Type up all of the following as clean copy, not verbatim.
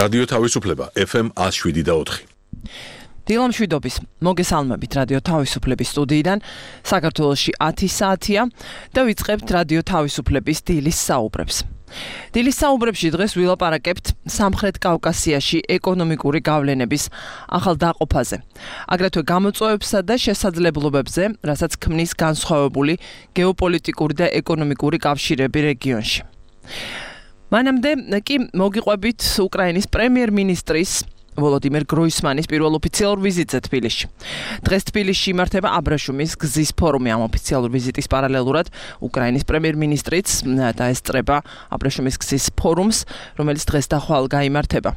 რადიო თავისუფლება FM 107.4. დილამშვიდობის მოგესალმებით რადიო თავისუფლების სტუდიიდან. საქართველოში 10 საათია და ვიწყებთ რადიო თავისუფლების დილის საუბრებს. დილის საუბრებში დღეს ვილაპარაკებთ სამხრეთ კავკასიაში ეკონომიკური გავლენების ახალ დაყოფაზე, აგრეთვე გამოწვევებსა და შესაძლებლობებზე, რასაც ქმნის განსხვავებული გეოპოლიტიკური და ეკონომიკური კავშირები რეგიონში. მანამდე კი მოგიყვებით უკრაინის პრემიერ-მინისტრის ვოლოდიმირ გროისმანის პირველ ოფიციალურ ვიზიტზე თბილისში. დღეს თბილისში იმართება აბრაშუმის გზის ფორუმი. ამ ოფიციალურ ვიზიტის პარალელურად უკრაინის პრემიერ-მინისტრიც დაესწრება აბრაშუმის გზის ფორუმს, რომელიც დღეს და ხვალ გაიმართება.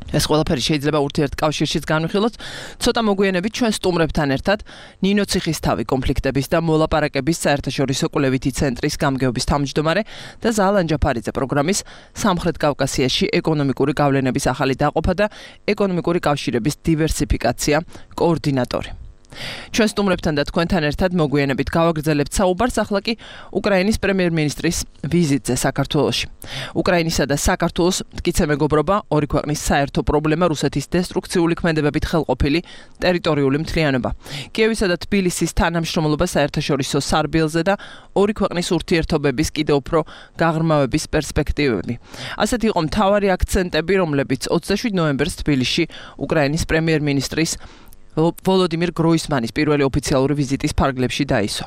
ეს ყველაფერი შეიძლება ურთიერთკავშირშიც განვიხილოთ. ცოტა მოგვიანებით ჩვენ სტუმრებთან ერთად ნინო ციხისთავი კონფლიქტების და მოლაპარაკების საერთაშორისო კვლევითი ცენტრის გამგეობის თავმჯდომარე და ზალან ჯაფარიძე პროგრამის სამხრეთ კავკასიაში ეკონომიკური გავლენების ახალი დაყოფა და ეკონომიკური კავშირების დივერსიფიკაცია კოორდინატორი. ჩვენ სტუმრებთან და თქვენთან ერთად მოგვიანებით გავაგრძელებთ საუბარს ახლა კი უკრაინის პრემიერ-მინისტრის ვიზიტზე საქართველოში. უკრაინისა და საქართველოს მტკიცე მეგობრობა, ორი ქვეყნის საერთო პრობლემა, რუსეთის დესტრუქციული ქმედებებით ხელყოფილი ტერიტორიული მთლიანობა. კიევისა და თბილისის თანამშრომლობა საერთაშორისო სარბიელზე და ორი ქვეყნის ურთიერთობების კიდევ უფრო გაღრმავების პერსპექტივები. ასეთი იყო მთავარი აქცენტები, რომლებიც 27 ნოემბერს თბილისში უკრაინის პრემიერ-მინისტრის ვოლოდიმირ გროისმანის პირველი ოფიციალური ვიზიტის ფარგლებში დაისვა.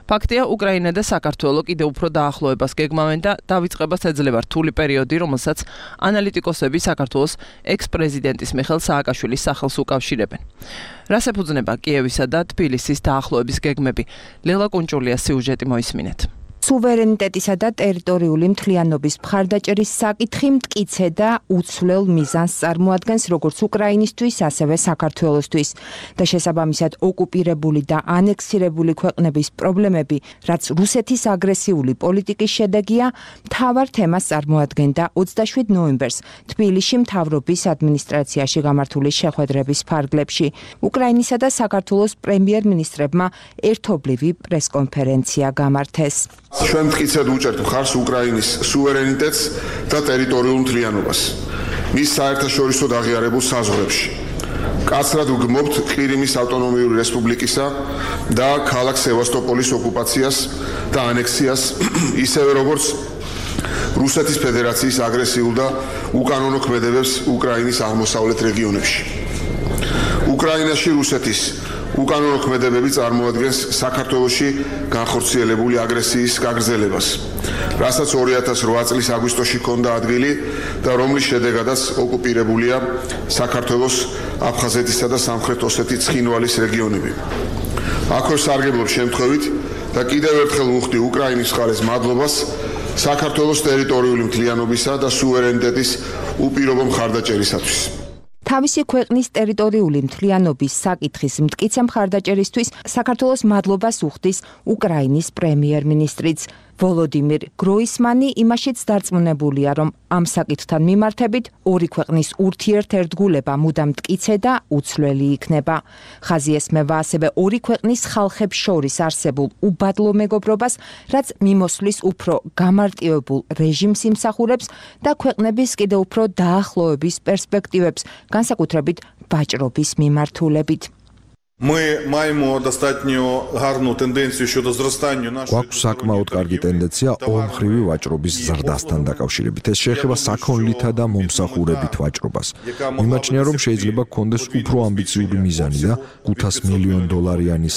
ფაქტია, უკრაინა და საქართველო კიდევ უფრო დაახლოებას გეგმავენ და დავიწყებას ეძლევა რთული პერიოდი, რომელსაც ანალიტიკოსები საქართველოს ექს-პრეზიდენტის მიხეილ სააკაშვილის სახელს უკავშირებენ. რას ეფუძნება კიევისა და თბილისის დაახლოების გეგმები? ლელა კუნჭულიას სიუჟეტი მოისმინეთ. სუვერენიტეტისა და ტერიტორიული მთლიანობის მხარდაჭერის საკითხი მტკიცე და უცვლელ მიზანს წარმოადგენს როგორც უკრაინისთვის, ასევე საქართველოსთვის და შესაბამისად ოკუპირებული და ანექსირებული ქვეყნების პრობლემები, რაც რუსეთის აგრესიული პოლიტიკის შედეგია, მთავარ თემას წარმოადგენდა 27 ნოემბერს თბილისში მთავრობის ადმინისტრაციაში გამართული შეხვედრების ფარგლებში. უკრაინისა და საქართველოს პრემიერ-მინისტრებმა ერთობლივი პრესკონფერენცია გამართეს. ჩვენ მტკიცედ უჭერთ მხარს უკრაინის სუვერენიტეტს და ტერიტორიულ მთლიანობას მის საერთაშორისო აღიარებულ საზღვრებში. კაცრად ვგმობთ ყირიმის ავტონომიური რესპუბლიკისა და ქალაქ სევასტოპოლის ოკუპაციას და ანექსიას, ისევე როგორც რუსეთის ფედერაციის აგრესიულ და უკანონო ქმედებებს უკრაინის აღმოსავლეთ რეგიონებში. უკრაინაში რუსეთის უკანონო ქმედებები წარმოადგენს საქართველოში განხორციელებული აგრესიის გაგრძელებას, რასაც 2008 წლის აგვისტოში ჰქონდა ადგილი და რომლის შედეგადაც ოკუპირებულია საქართველოს აფხაზეთისა და სამხრეთ ოსეთის ცხინვალის რეგიონები. აქვე სარგებლობ შემთხვევით და კიდევ ერთხელ ვუხდი უკრაინის მხარეს მადლობას საქართველოს ტერიტორიული მთლიანობისა და სუვერენიტეტის უპირობო მხარდაჭერისათვის. თავისი ქვეყნის ტერიტორიული მთლიანობის საკითხის მტკიცე მხარდაჭერისთვის საქართველოს მადლობას უხდის უკრაინის პრემიერ-მინისტრიც. ვოლოდიმირ გროისმანი იმაშიც დარწმუნებულია, რომ ამ საკითხთან მიმართებით ორი ქვეყნის ურთიერთერთგულება მუდამ მტკიცე და უცვლელი იქნება. ხაზი ესმევა ასევე ორი ქვეყნის ხალხებს შორის არსებულ უბადლო მეგობრობას, რაც მიმოსვლის უფრო გამარტივებულ რეჟიმს იმსახურებს და ქვეყნების კიდევ უფრო დაახლოების პერსპექტივებს, განსაკუთრებით ვაჭრობის მიმართულებით. გვაქვს საკმაოდ კარგი ტენდენცია ორმხრივი ვაჭრობის ზრდასთან დაკავშირებით. ეს შეეხება საქონლითა და მომსახურებით ვაჭრობას. მიმაჩნია, რომ შეიძლება გქონდეს უფრო ამბიციური მიზანი და $500 მილიონ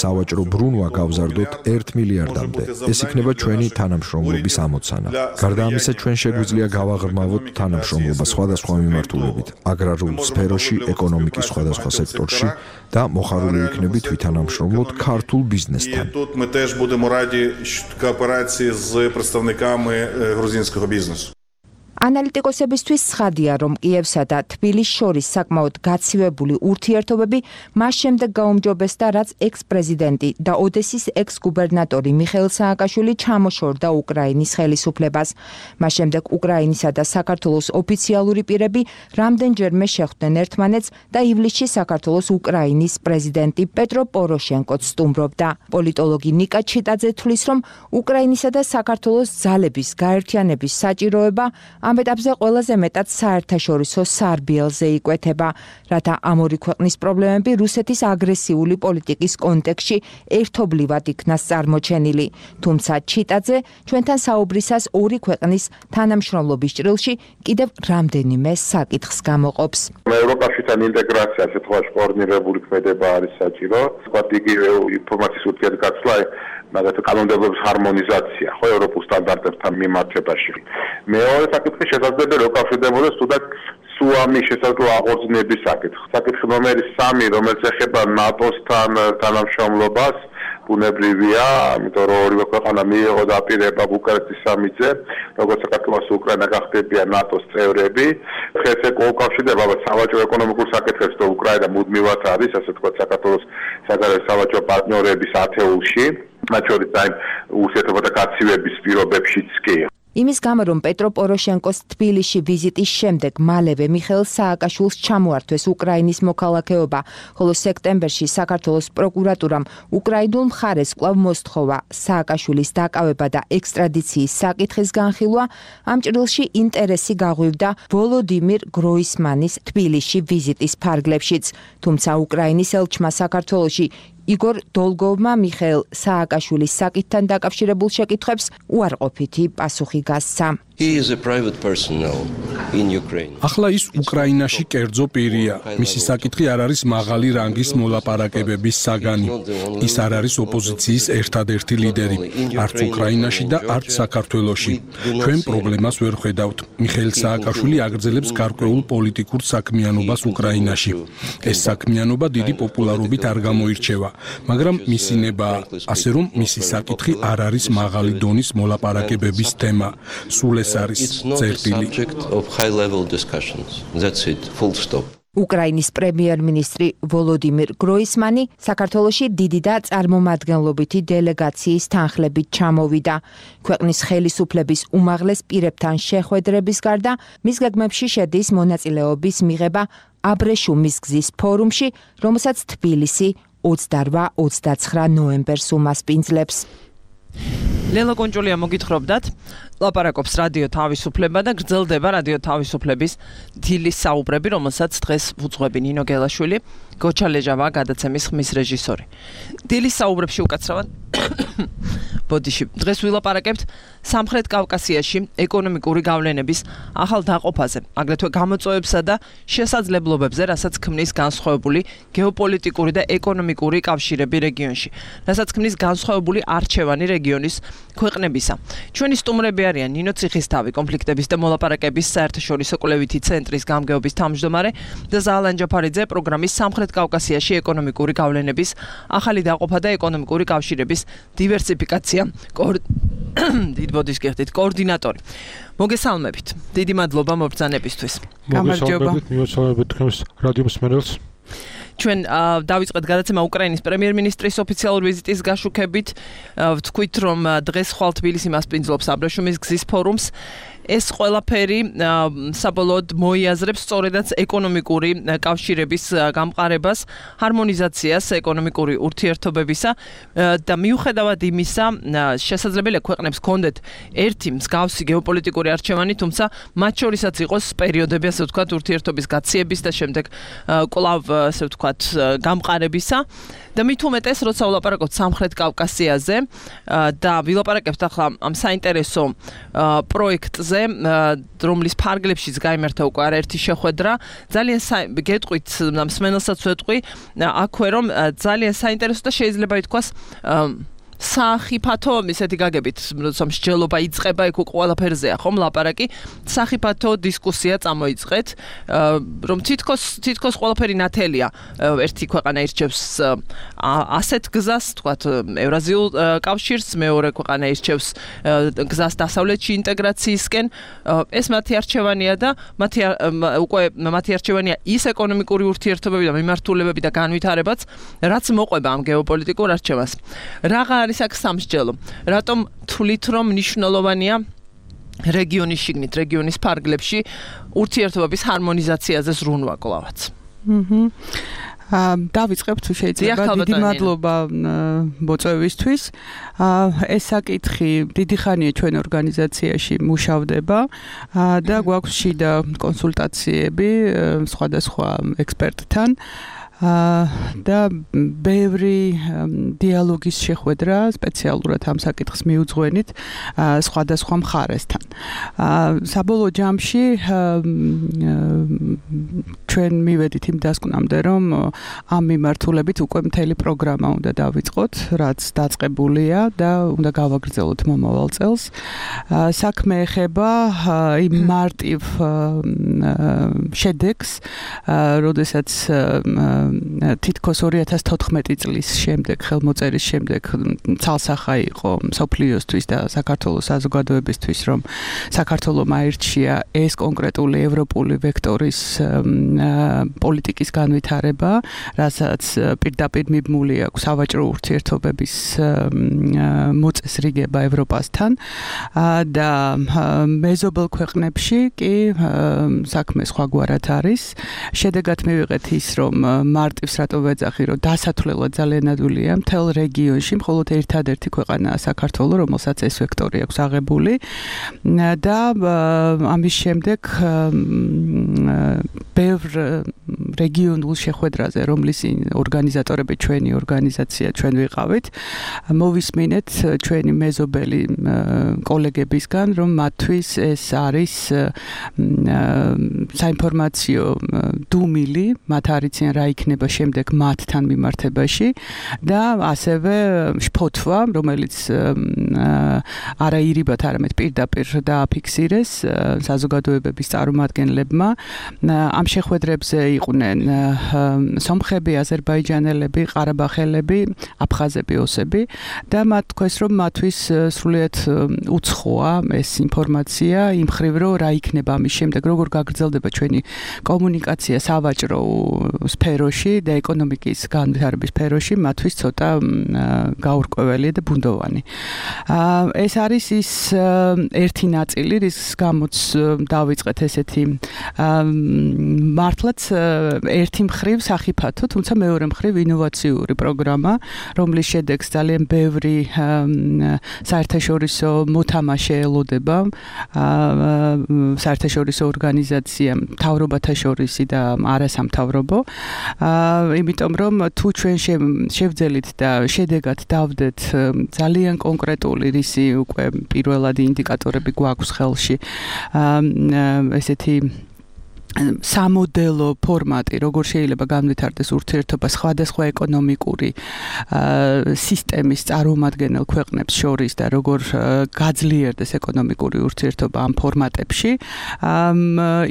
სავაჭრო ბრუნვა გავზარდოთ 1 მილიარდამდე. ეს იქნება ჩვენი თანამშრომლობის ამოცანა. გარდა ამისა, ჩვენ შეგვიძლია გავაღრმავოთ თანამშრომლობა სხვადასხვა მიმართულებით, აგრარულ სფეროში, ეკონომიკის სხვადასხვა სექტორში და მოხარული იქნებით ვითანამშრომლოთ ქართულ ბიზნესთან. Тут ми теж будемо раді кооперації з представниками грузинського бізнесу. ანალიტიკოსებისთვის ცხადია, რომ კიევსა და თბილისს შორის საკმაოდ გაცივებული ურთიერთობები მას შემდეგ გაუმჯობესდა, რაც ექს-პრეზიდენტი და ოდესის ექს-გუბერნატორი მიხეილ სააკაშვილი ჩამოშორდა უკრაინის ხელისუფლებას. მას შემდეგ უკრაინისა და საქართველოს ოფიციალური პირები რამდენჯერმე შეხვდნენ ერთმანეთს და ივლისში საქართველოს უკრაინის პრეზიდენტი პეტრო პოროშენკოც სტუმრობდა. პოლიტოლოგი ნიკა ჩიტაძე თვლის, რომ უკრაინისა და საქართველოს ძალების გაერთიანების საჭიროება ამ ეტაპზე ყველაზე მეტად საერთაშორისო სარბიელზე იკვეთება, რათა ამ ორი ქვეყნის პრობლემები რუსეთის აგრესიული პოლიტიკის კონტექსტში ერთობლივად იქნას წარმოჩენილი. თუმცა ჩიტაძე ჩვენთან საუბრისას ორი ქვეყნის თანამშრომლობის ჭრილში კიდევ რამდენიმე საკითხს გამოყოფს. ევროკავშირთან ინტეგრაცია ასე თქვაში კოორდინირებული ქმედება არის საჭირო. ვთქვათ, იგივე ინფორმაციის ურთიერთგაცვლა, მაგალითად კანონმდებლობის ჰარმონიზაცია, ხო, ევროპულ სტანდარტებთან მიმართებაში. მეორე საკითხი შესაძლებელია უკავშირდებოდეს თუნდაც სუამის შესაძლო აღორძინების საკითხი. საკითხი ნომერი 3, რომელიც ეხება ნატოსთან თანამშრომლობას, ბუნებრივია, ამიტომ რომ ორივე ქვეყანა მიიღო დაპირება ბუკარესტის სამიტზე, როგორც საქართველოს უკრაინა გახდებიან ნატოს წევრები. დღეს ეს უკავშირდება სავაჭრო ეკონომიკურ საკითხებს, რომ უკრაინა მუდმივად არის, ასე ვთქვათ, საქართველოს საგარეო სავაჭრო პარტნიორების ათეულში, მათ შორის აი ურთიერთობათა გაცივების პირობებშიც კი. იმის გამო, რომ პეტრო პოროშენკოს თბილისში ვიზიტის შემდეგ მალევე მიხეილ სააკაშვილს ჩამოართვეს უკრაინის მოქალაქეობა, ხოლო სექტემბერში საქართველოს პროკურატურამ უკრაინულ მხარეს კვლავ მოსთხოვა სააკაშვილის დაკავება და ექსტრადიციის საკითხის განხილვა, ამ ჭრილში ინტერესი გაღვივდა ვოლოდიმირ გროისმანის თბილისში ვიზიტის ფარგლებშიც, თუმცა უკრაინის ელჩმა საქართველოში იგორ დოლგოვმა მიხეილ სააკაშვილის საკითხთან დაკავშირებულ შეკითხვებს უარყოფითი პასუხი გასცა. ახლა ის უკრაინაში კერძო პირია. მისი საკითხი არ არის მაღალი რანგის მოლაპარაკებების საგანი. ის არ არის ოპოზიციის ერთადერთი ლიდერი, არც უკრაინაში და არც საქართველოში. ჩვენ პრობლემას ვერ ხედავთ. მიხეილ სააკაშვილი აგრძელებს გარკვეულ პოლიტიკურ საქმიანობას უკრაინაში. ეს საქმიანობა დიდი პოპულარობით არ გამოირჩევა, მაგრამ მისი ნება, ასე რომ მისი საკითხი არ არის მაღალი დონის მოლაპარაკებების თემა. სულ ეს არის წერტილი. უკრაინის პრემიერ-მინისტრი ვოლოდიმირ გროისმანი საქართველოში დიდი და წარმომადგენლობითი დელეგაციის თანხლებით ჩამოვიდა. ქვეყნის ხელისუფლების უმაღლეს პირებთან შეხვედრების გარდა, მის გეგმებში შედის მონაწილეობის მიღება აბრეშუმის გზის ფორუმში, რომელსაც თბილისი 28-29 ნოემბერს უმასპინძლებს. ლელა კონჭოლია მოგითხრობდათ, ლაპარაკობს რადიო თავისუფლება და გრძელდება რადიო თავისუფლების დილის საუბრები, რომელსაც დღეს უძღვები ნინო გელაშვილი, გოჩა ლეჟავა გადაცემის ხმის რეჟისორი. დილის საუბრებში უკაცრავად ბოდიში. დღეს ვილაპარაკებთ სამხრეთ კავკასიაში ეკონომიკური გავლენების ახალ დაყოფაზე, აგრეთვე გამოწვევებსა და შესაძლებლობებზე, რასაც ქმნის განსხვავებული გეოპოლიტიკური და ეკონომიკური კავშირები რეგიონში, რასაც ქმნის განსხვავებული არჩევანი რეგიონის ქვეყნებისა. ჩვენი სტუმრები არიან ნინო ციხისთავი, კონფლიქტების და მოლაპარაკების საერთაშორისო კვლევითი ცენტრის გამგეობის თავმჯდომარე და ზაალან ჯაფარიძე, პროგრამის სამხრეთ კავკასიაში ეკონომიკური გავლენების ახალი დაყოფა და ეკონომიკური კავშირების დივერსიფიკაცია კოორდინატორი. მოგესალმებით. დიდი მადლობა მობრძანებისთვის. მოგესალმებით, მივესალმებით თქვენს რადიო მსმენელს. ჩვენ დავიწყეთ გადაცემა უკრაინის პრემიერ-მინისტრის ოფიციალური ვიზიტის გაშუქებით. ვთქვით, რომ დღეს ხვალ თბილისი მასპინძლობს აბრეშუმის გზის ფორუმს. ეს ყველაფერი საბოლოოდ მოიაზრებს სწორედაც ეკონომიკური კავშირების გამყარებას, ჰარმონიზაციას ეკონომიკური ურთიერთობებისა და მიუხედავად იმისა, შესაძლებელია ქვეყნებს ჰქონდეთ ერთი მსგავსი გეოპოლიტიკური არჩევანი, თუმცა მათ შორისაც იყოს პერიოდები, ასე ვთქვათ, ურთიერთობის გაციების და შემდეგ კვლავ, ასე ვთქვათ, გამყარებისა. და მით უმეტეს, როცა ვლაპარაკობთ სამხრეთ კავკასიაზე და ვილაპარაკებთ ახლა ამ საინტერესო პროექტზე, რომლის ფარგლებშიც გაიმართა უკვე არაერთი შეხვედრა, ძალიან გეტყვით, მსმენელსაც ვეტყვი, აქვე რომ ძალიან საინტერესო და შეიძლება ითქვას სახიფათო ისეთი გაგებით, როცა მსჯელობა იწყება, იქ ყველაფერზეა ხომ ლაპარაკი, სახიფათო დისკუსია წამოიწყეთ, რომ თითქოს ყველაფერი ნათელია. ერთი ქვეყანა ირჩევს ასეთ გზას, თქვათ, ევრაზიულ კავშირს, მეორე ქვეყანა ირჩევს გზას დასავლეთში ინტეგრაციისკენ. ეს მათი არჩევანია და მათი არჩევანია ის ეკონომიკური ურთიერთობები და მიმართულებები და განვითარებაც, რაც მოყვება ამ გეოპოლიტიკურ არჩევანს. არის აქ სამსჯელო. რატომ თვლით, რომ მნიშვნელოვანია რეგიონის შიგნით, რეგიონის ფარგლებში ურთიერთობების ჰარმონიზაციაზე ზრუნვა კლავაც? დავიწყებ თუ შეიძლება დიდი მადლობა მოწვევისთვის. ეს საკითხი დიდი ხანია ჩვენ ორგანიზაციაში მუშავდება და გვაქვს შიდა კონსულტაციები სხვადასხვა ექსპერტთან. და ბევრი დიალოგის შეხვედრა სპეციალურად ამ საკითხს მიუძღვენით სხვადასხვა მხარესთან. საბოლოო ჯამში ჩვენ მივედით იმ დასკვნამდე, რომ ამ მიმართულებით უკვე მთელი პროგრამა უნდა დავიწყოთ, რაც დაწყებულია და უნდა გავაგრძელოთ მომავალ წელს. საქმე ეხება იმ მარტივ შედეგს, როდესაც თითქოს 2014 წლის შემდეგ ხელმოწერის შემდეგ ცალსახა იყო მსოფლიოსთვის და საქართველოს საზოგადოებისთვის, რომ საქართველოს აირჩია ეს კონკრეტული ევროპული ვექტორის პოლიტიკის განვითარება, რასაც პირდაპირ მიბმული აქვს სავაჭრო ურთიერთობების მოწესრიგება ევროპასთან და მეზობელ ქვეყნებში კი საქმე სხვაგვარად არის. შედეგად მივიღეთ ის, რომ მარტივს რატო ვეძახი, რომ დასათვლელად ძალიან ადვილია მთელ რეგიონში, მხოლოდ ერთადერთი ქვეყანაა საქართველო, რომელსაც ეს ვექტორი აქვს აღებული და ამის შემდეგ ბევრ რეგიონულ შეხვედრაზე, რომლის ორგანიზატორები ჩვენი ორგანიზაცია ჩვენ ვიყავით, მოვისმინეთ ჩვენი მეზობელი კოლეგებისგან, რომ მათთვის ეს არის საინფორმაციო დუმილი, მათ არიციან რა იქნება შემდეგ მათთან მიმართებაში და ასევე შფოთვა, რომელიც არა ირიბად, არამედ პირდაპირ დააფიქსირეს საზოგადოებების წარმომადგენლებმა. ამ შეხვედრებზე იყვნენ სომხები, აზერბაიჯანელები, ყარაბაღელები, აფხაზები, ოსები და მათ თქვეს, რომ მათთვის სრულიად უცხოა ეს ინფორმაცია იმ ხრივ, რომ რა იქნება ამის შემდეგ, როგორ გაგრძელდება ჩვენი კომუნიკაცია სავაჭრო სფეროში და ეკონომიკის განვითარების სფეროში, მათთვის ცოტა გაურკვეველია და ბუნდოვანი. ეს არის ის ერთი ნაწილი, რის გამოც დავიწყეთ ესეთი მართლაც ერთი მხრივ სახიფათო, თუმცა მეორე მხრივ ინოვაციური პროგრამა, რომლის შედეგს ძალიან ბევრი საერთაშორისო მოთამაშე ელოდება, საერთაშორისო ორგანიზაცია, მთავრობათა შორისი და არასამთავრობო. იმიტომ რომ თუ ჩვენ შევძელით და შედეგად დავდეთ ძალიან კონკრეტული რისი უკვე პირველადი ინდიკატორები გვაქვს ხელში, ესეთი სამოდელო ფორმატი, როგორ შეიძლება განვითარდეს ურთიერთობა სხვადასხვა ეკონომიკური სისტემის წარმომადგენელ ქვეყნებს შორის და როგორ გაძლიერდეს ეკონომიკური ურთიერთობა ამ ფორმატებში,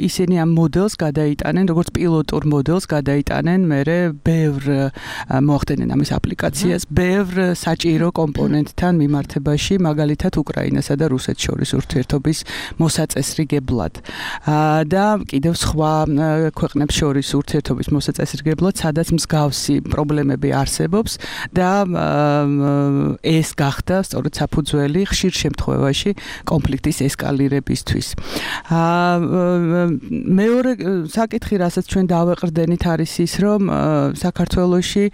ისინი ამ მოდელს გადაიტანენ, როგორც პილოტურ მოდელს გადაიტანენ მერე ბევრ მოახდენენ ამის აპლიკაციას, ბევრ საჭირო კომპონენტთან მიმართებაში, მაგალითად უკრაინასა და რუსეთს შორის ურთიერთობის მოსაწესრიგებლად. და კიდევ სხვა ქვეყნებს შორის ურთიერთობის მოსაწესრიგებლად, სადაც მსგავსი პრობლემები არსებობს და ეს გახდა სწორედ საფუძველი ხშირ შემთხვევაში კონფლიქტის ესკალირებისთვის. მეორე საკითხი, რასაც ჩვენ დავეყრდენით, არის ის, რომ საქართველოში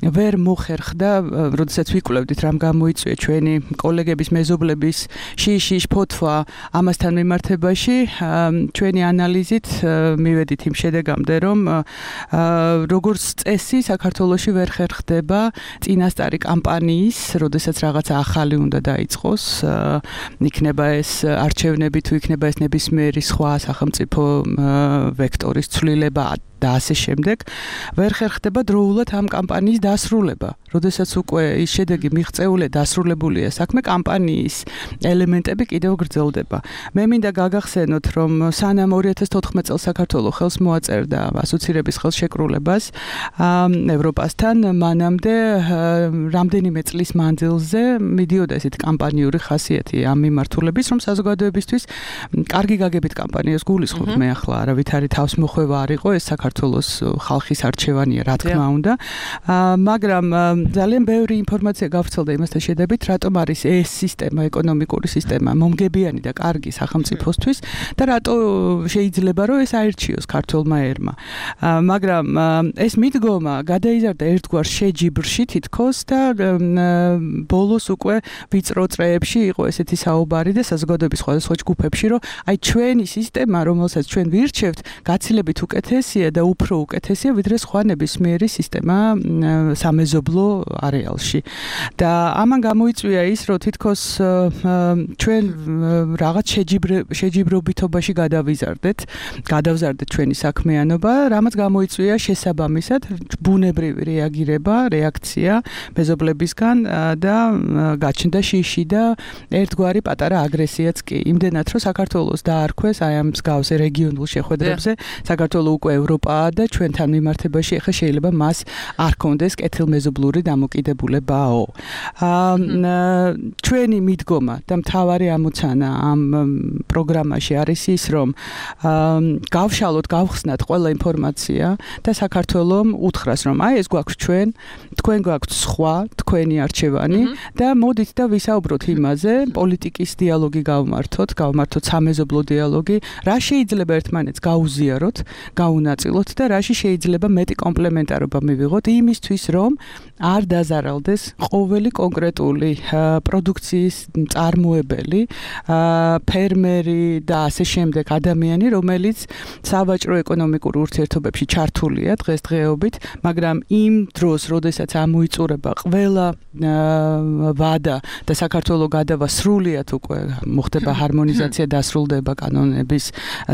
ვერ მოხერხდა, როდესაც ვიკვლევდით რამ გამოიწვია ჩვენი კოლეგების, მეზობლების შიში ფოთვა ამასთან მიმართებაში, ჩვენი ანალიზით მივედით იმ შედეგამდე, რომ როგორც წესი საქართველოში ვერ ხერხდება წინასწარი კამპანიის, როდესაც რაღაცა ახალი უნდა დაიწყოს, იქნება ეს არჩევნები, თუ იქნება ეს ნებისმიერი სხვა სახელმწიფო ვექტორის ცვლილება და ასე შემდეგ, ვერ ხერხდება დროულად ამ კამპანიის დასრულება. როდესაც უკვე ის შედეგი მიღწეულია, დასრულებულია საქმე, კამპანიის ელემენტები კიდევ გრძელდება. მე მინდა გაგახსენოთ, რომ სანამ 2014 წელს საქართველოს ხელს მოაწერდა ასოცირების ხელშეკრულებას ევროპასთან, მანამდე რამდენიმე წლის მანძილზე მიდიოდა ესეთი კამპანიური ხასიათი ამ მიმართულების, რომ საზოგადოებისთვის კარგი გაგებით კამპანიას გულისხმობ მე ახლა, არავითარი თავს მოხვევა არ იყო ეს საქართველოს საქართველოს ხალხის არჩევანია, რა თქმა უნდა. მაგრამ ძალიან ბევრი ინფორმაცია გავრცელდა იმასთან შედარებით, რატომ არის ეს სისტემა, ეკონომიკური სისტემა მომგებიანი და კარგი სახელმწიფოსთვის და რატო შეიძლება რომ ეს აერჩიოს ქართველმა ერმა. მაგრამ ეს მიდგომა გადაიზარდა ერთგვარ შეჯიბრში თითქოს და ბოლოს უკვე ვიწრო წრეებში იყო ესეთი საუბარი და საზოგადოების სხვადასხვა ჯგუფებში, რომ აი ჩვენი სისტემა, რომელსაც ჩვენ ვირჩევთ, გაცილებით უკეთესია და უფრო უკეთესია, ვიდრე სხვა ნებისმიერი სისტემა სამეზობლო არეალში. და ამან გამოიწვია ის, რომ თითქოს ჩვენ რაღაც შეჯიბრობითობაში გადავზარდეთ ჩვენი საქმიანობა, რამაც გამოიწვია შესაბამისად ბუნებრივი რეაქცია მეზობლებისგან და გაჩნდა შიში და ერთგვარი პატარა აგრესიაც კი. იმდენად რომ საქართველოს დაარქვეს აი ამ მსგავს რეგიონულ შეხვედრებზე, საქართველო უკვე ევროპაა და ჩვენთან მიმართებაში ახლა შეიძლება მას არ კონდეს კეთილმეზობლური დამოკიდებულებაო. ჩვენი მიდგომა და მთავარი ამოცანა ამ პროგრამაში არის ის, რომ გავშალოთ, გავხსნათ ყველა ინფორმაცია და საქართველომ უთხრას, რომ აი ეს გვაქვს თქვენ გვაქვთ სხვა, თქვენი არჩევანი და მოდით და ვისაუბროთ იმაზე, პოლიტიკის დიალოგი გავმართოთ სამეზობლო დიალოგი, რა შეიძლება ერთმანეთს გაუზიაროთ, გაუნაწილოთ და რაში შეიძლება მეტი კომპლემენტარობა მივიღოთ იმისთვის, რომ არ დაზარალდეს ყოველი კონკრეტული პროდუქციის მწარმოებელი, ფერმერი და ასე შემდეგ ადამიანი, რომელიც სავაჭრო ეკონომიკურ ურთიერთობებში ჩართულია დღესდღეობით, მაგრამ იმ დროს, როდესაც ამოიწურება ყველა ვადა და საქართველოს გადავა სრულიად უკვე მოხდება ჰარმონიზაცია, დასრულდება კანონების,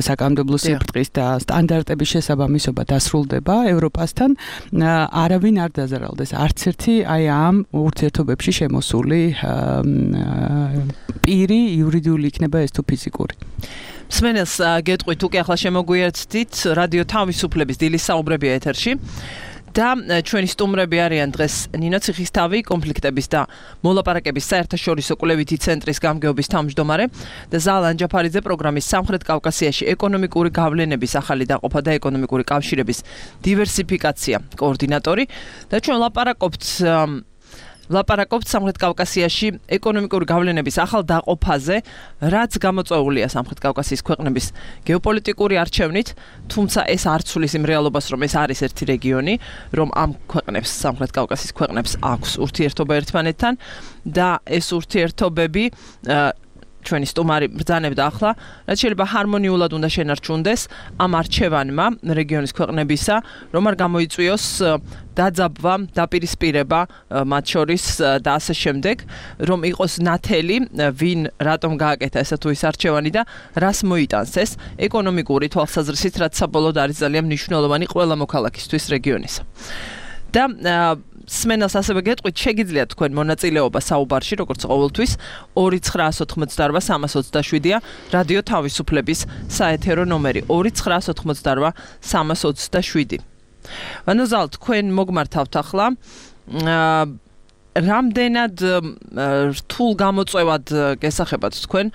საკანონმდებლო სიბრტყის და სტანდარტების შესაბამისობა დასრულდება ევროპასთან, არავინ არ დაზარალდეს, არც ერთი აი ამ ურთიერთობებში შემოსული პირი იურიდიული იქნება ეს თუ ფიზიკური. მსმენელს გეტყვით, უკვე ახლა შემოგვიერთდით რადიო თავისუფლების დილის საუბრებია ეთერში. და ჩვენი სტუმრები არიან დღეს ნინო ციხისთავი, კონფლიქტების და მოლაპარაკების საერთაშორისო კვლევითი ცენტრის გამგეობის თავმჯდომარე და ზაალ ანჯაფარიძე, პროგრამის სამხრეთ კავკასიაში ეკონომიკური გავლენების ახალი დაყოფა და ეკონომიკური კავშირების დივერსიფიკაცია კოორდინატორი და ჩვენ ლაპარაკობთ სამხრეთ კავკასიაში ეკონომიკური გავლენების ახალ დაყოფაზე, რაც გამოწვეულია სამხრეთ კავკასიის ქვეყნების გეოპოლიტიკური არჩევნით, თუმცა ეს არ ცვლის იმ რეალობას, რომ ეს არის ერთი რეგიონი, რომ ამ ქვეყნებს, სამხრეთ კავკასიის ქვეყნებს აქვს ურთიერთობა ერთმანეთთან და ეს ურთიერთობები ჩვენი სტუმარი ბრძანებდა ახლა, რაც შეიძლება ჰარმონიულად უნდა შენარჩუნდეს ამ არჩევანმა რეგიონის ქვეყნებისა, რომ არ გამოიწვიოს დაძაბვა, დაპირისპირება მათ შორის და ასე შემდეგ, რომ იყოს ნათელი, ვინ რატომ გააკეთა ესა თუ ის არჩევანი და რას მოიტანს ეს ეკონომიკური თვალსაზრისით, რაც საბოლოოდ არის ძალიან მნიშვნელოვანი ყველა მოქალაქისთვის რეგიონისა. და სმენელს ასევე გეტყვით, შეგიძლიათ თქვენ მონაწილეობა საუბარში, როგორც ყოველთვის 2988327-327-ია რადიო თავისუფლების საეთერო ნომერი 2988327. ანუ ზალ, თქვენ მოგმართავთ ახლა რამდენად რთულ გამოწვევად გესახებათ თქვენ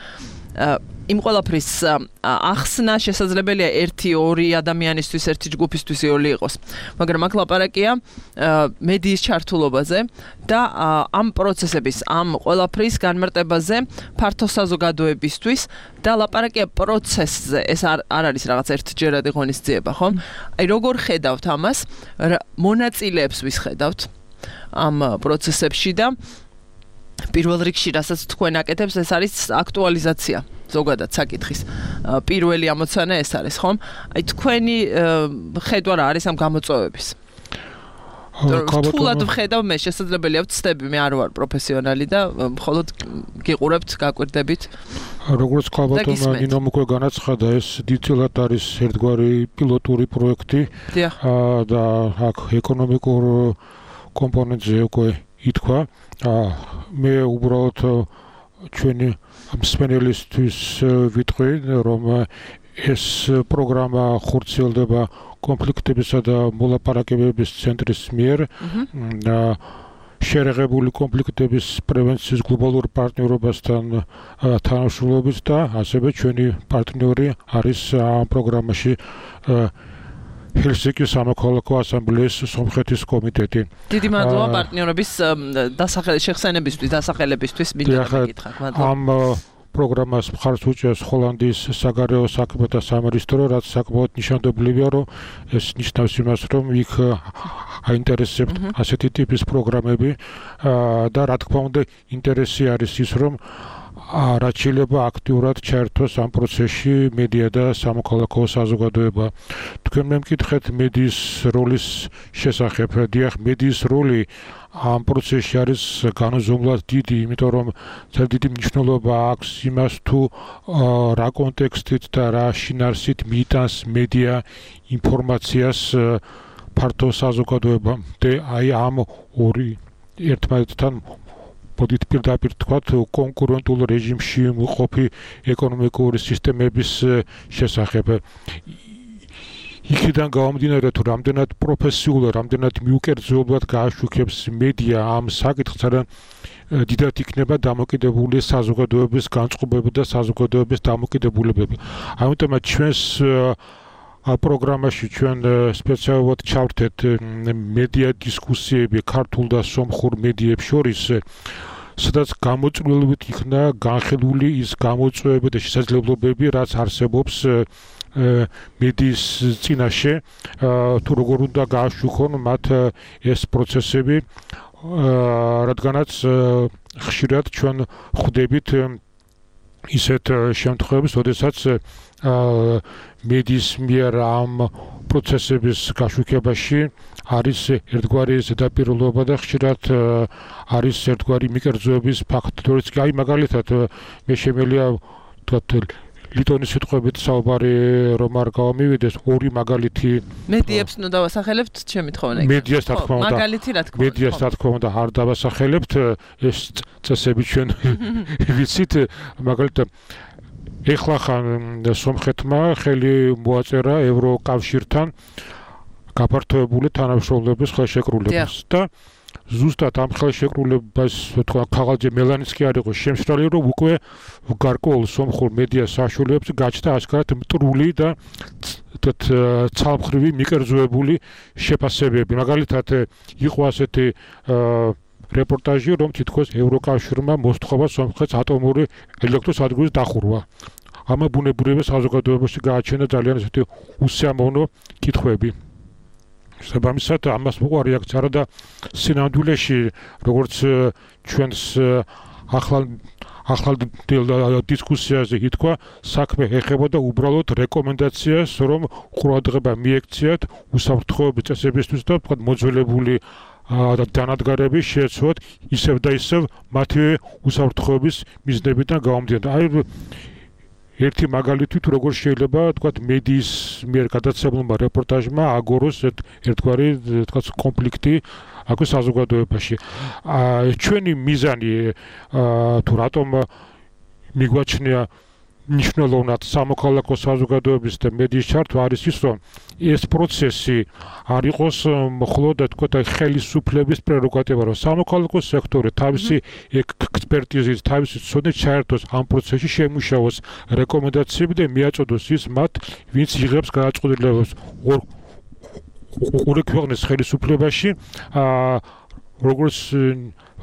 იმ ყველაფრის ახსნა შესაძლებელია 1-2 ადამიანისთვის, ერთი ჯგუფისთვის იოლი იყოს. მაგრამ აქ ლაპარაკია მედიის ჩართულობაზე და ამ პროცესების, ამ ყველაფრის განმარტებაზე ფართო საზოგადოებისთვის და ლაპარაკია პროცესზე. ეს არ არის რაღაც ერთჯერადი ღონისძიება, ხო? აი როგორ ხედავთ ამას? მონაწილეებს ვის ხედავთ ამ პროცესებში და პირველ რიგში, რასაც თქვენ აკეთებს, ეს არის აქტუალიზაცია. ზოგადად საკითხის პირველი ამოცანა ეს არის, ხომ? აი თქვენი ხედვა რა არის ამ გამოწვევების? თულად ვხედავ მე, შესაძლებელია ვცდები, მე არ ვარ პროფესიონალი და მხოლოდ გიყურებთ, გაკვირდებით. როგორც ქალბატონმა ნინომ უკვე განაცხადა, ეს დიდწილად არის ერთგვარი პილოტური პროექტი და აქ ეკონომიკურ კომპონენტზე უკვე ითქვა. მე უბრალოდ ჩვენი მსმენელისთვის ვიტყვი, რომ ეს პროგრამა ხორციელდება კონფლიქტებისა და მოლაპარაკებების ცენტრის მიერ და შერეღებული კონფლიქტების პრევენციის გლობალურ პარტნიორობასთან თანამშრომლობით და ასევე ჩვენი პარტნიორი არის ამ პროგრამაში ჰელსინკის სამოქალაქო ასამბლეის სომხეთის კომიტეტი. დიდი მადლობა პარტნიორების შეხსენებისთვის, დასახელებისთვის მინდა მეკითხა. ამ პროგრამას მხარს უჭერს ჰოლანდიის საგარეო საქმეთა სამინისტრო, რაც საკმაოდ ნიშანდობლივია, რომ ეს ნიშნავს იმას, რომ იქ აინტერესებთ ასეთი ტიპის პროგრამები და რა თქმა უნდა ინტერესი არის ის, რომ რაც შეიძლება აქტიურად ჩაერთოს ამ პროცესში მედია და სამოქალაქო საზოგადოება. თქვენ მე მკითხეთ მედიის როლის შესახებ. დიახ, მედიის როლი ამ პროცესში არის განუზომლად დიდი, იმიტომ რომ ძალიან დიდი მნიშვნელობა აქვს იმას თუ რა კონტექსტით და რა შინაარსით მიიტანს მედია ინფორმაციას ფართო საზოგადოებამდე. აი ამ ორი ერთმანეთთან მოდით პირდაპირ თქვათ კონკურენტულ რეჟიმში მყოფი ეკონომიკური სისტემების შესახებ. იქიდან გამომდინარე თუ რამდენად პროფესიულად, რამდენად მიუკერძოებულად გააშუქებს მედია ამ საკითხს, ძალიან დიდად იქნება დამოკიდებული საზოგადოების განწყობები და საზოგადოების დამოკიდებულებები. ამიტომაც ჩვენს პროგრამაში ჩვენ სპეციალურად ჩავერთეთ მედია დისკუსიები ქართულ და სომხურ მედიებს შორის, სადაც გამოწვეულებით იქნა განხილული ის გამოწვევები და შესაძლებლობები, რაც არსებობს მედიის წინაშე, თუ როგორ უნდა გააშუქონ მათ ეს პროცესები, რადგანაც ხშირად ჩვენ ხვდებით ისეთ შემთხვევებს, როდესაც მედიის მიერ ამ პროცესების გაშუქებაში არის ერთგვარი ზედაპირულობა და ხშირად არის ერთგვარი მიკერძოების ფაქტორიც. აი მაგალითად მე შემიძლია თქვათ ლიტონის სიტყვებით საუბარი რომ არ გავამივიდეს, ორი მაგალითი მედიებს ნუ დავასახელებთ ჩემი თხოვნა. მედიას რა თქმა უნდა. მაგალითი რა თქმა უნდა. მედიას რა თქმა უნდა არ დავასახელებთ, ეს წესები ჩვენ ვიცით, მაგალითად ეხლა ხან სომხეთმა ხელი მოაწერა ევროკავშირთან გაფართოებული თანამშრომლობის ხელშეკრულებას და ზუსტად ამ ხელშეკრულებას თქვა ქაღალდზე მელანიც კი არ იყო შემსრალი, რომ უკვე გარკვეულ სომხურ მედიას საშუალებს გაჩნდა ასკარად მტრული და ცალმხრივი მიკერძოებული შეფასებები. მაგალითად იყო ასეთი რეპორტაჟი, რომ თითქოს ევროკავშირმა მოსთხოვა სომხეთს ატომური ელექტროსადგურის დახურვა. ამ ბუნებრივი საზოგადოებაში გააჩნდა ძალიან ესეთი უსიამოვნო კითხვები. საბამისად ამას მოყვა რეაქცია და სინამდვილეში როგორც ჩვენს ახალ დისკუსიაზე ითქვა, საქმე ეხებოდა უბრალოდ რეკომენდაციას, რომ ყურადღება მიექციათ უსაფრთხოების წესებისთვის და თქვა მოძველებული დანადგარები შეეცვალათ ისევ და ისევ მათი უსაფრთხოების მიზნებიდან გამომდინარე. აი ერთი მაგალითი თუ როგორ შეიძლება თქვათ მედიის მიერ გადაცემულმა რეპორტაჟმა აგოროს ერთგვარი თქვათ კონფლიქტი აქ საზოგადოებაში. ჩვენი მიზანი თუ რატომ მიგვაჩნია ნიშნულოვნად სამოქალაქო საზოგადოების და მედიის ჩართვა არის ის, რომ ეს პროცესი არ იყოს მხოლოდ თქვათ ხელისუფლების პრეროგატივა, რომ სამოქალაქო სექტორი თავისი ექსპერტიზით, თავისი ცოდნით ჩაერთოს ამ პროცესში, შემუშავოს რეკომენდაციები და მიაწოდოს ის მათ, ვინც იღებს გადაწყვეტილებებს ორი ქვეყნის ხელისუფლებაში, როგორც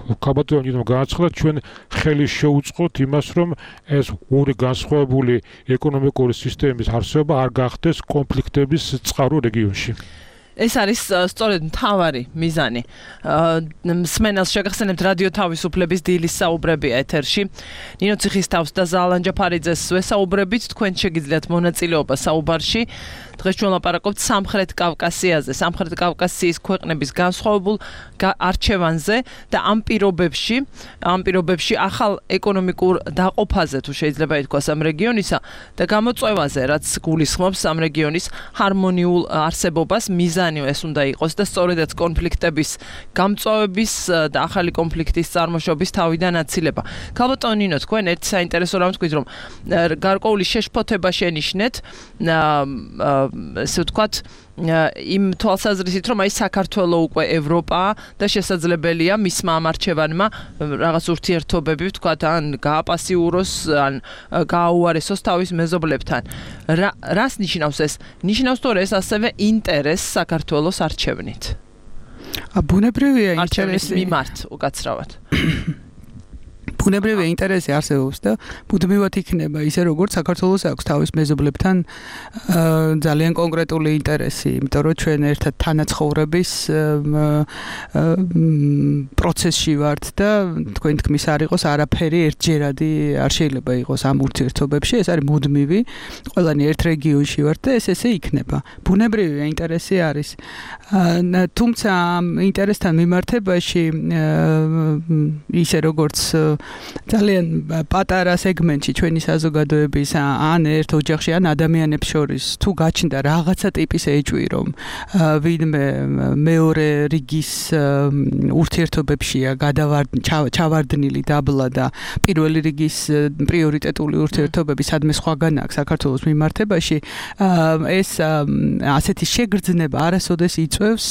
კაბატონი განაცხადა, ჩვენ ხელი შეუწყოთ იმას, რომ ეს ორი განსხვავებული ეკონომიკური სისტემის არსებობა არ გახდეს კონფლიქტების წყარო რეგიონში. ეს არის სწორედ მთავარი მიზანი. მსმენელს შეგახსენებთ რადიო თავისუფლების დილის საუბრები ეთერში. ნინო ციხისთავს და ზალან ჯაფარიძეს ვესაუბრებით, თქვენ შეგიძლიათ მონაწილეობა საუბარში. დღეს ჩვენ ლაპარაკობთ სამხრეთ კავკასიაზე, სამხრეთ კავკასიის ქვეყნების განსხვავებულ არჩევანზე და ამ პირობებში ახალ ეკონომიკურ დაყოფაზე თუ შეიძლება ითქვას ამ რეგიონისა და გამოწვევაზე, რაც გულისხმობს ამ რეგიონის ჰარმონიულ არსებობას, მიზანი ეს უნდა იყოს და სწორედაც კონფლიქტების გამწვავების და ახალი კონფლიქტის წარმოშობის თავიდან აცილება. ქალბატონ ნინო, თქვენ ერთ საინტერესო რამს თქვით, რომ გარკვეული შეშფოთება შენიშნეთ, ესე ვთქვათ, იმ თვალსაზრისით, რომ აი საქართველო უკვე ევროპაა და შესაძლებელია მისმა ამარჩევანმა რაღაც ურთიერთობები, ვთქვათ, ან გააპასიუროს, ან გააუარესოს თავის მეზობლებთან. რას ნიშნავს ეს? ნიშნავს თუ ეს ასევე ინტერესს საქართველოს არჩევნით. ბუნებრივია ინტერესი მიმართ უკაცრავად. ბუნებრივი ინტერესი არსებობს და ბუნებრივად იქნება ისე როგორც საქართველოს აქვს თავის მეზობლებთან ძალიან კონკრეტული ინტერესი, იმიტომ რომ ჩვენ ერთად თანაცხოვრების პროცესში ვართ და თქვენ თქმის არ იყოს არაფერი ერთჯერადი არ შეიძლება იყოს ამ ურთიერთობებში, ეს არის მუდმივი, ყველანი ერთ რეგიონში ვართ და ესე იქნება. ბუნებრივი ინტერესი არის. თუმცა ამ ინტერესთან მიმართებაში ისე როგორც ძალიან პატარა სეგმენტში ჩვენი საზოგადოების ან ერთ ოჯახში ან ადამიანებს შორის თუ გაჩნდა რაღაცა ტიპის ეჭვი რომ ვინმე მეორე რიგის ურთიერთობებშია ჩავარდნილი დაბლა და პირველი რიგის პრიორიტეტული ურთიერთობები სადმე სხვაგან აქვს საქართველოს მიმართებაში ეს ასეთი შეგრძნება არასოდეს იწვევს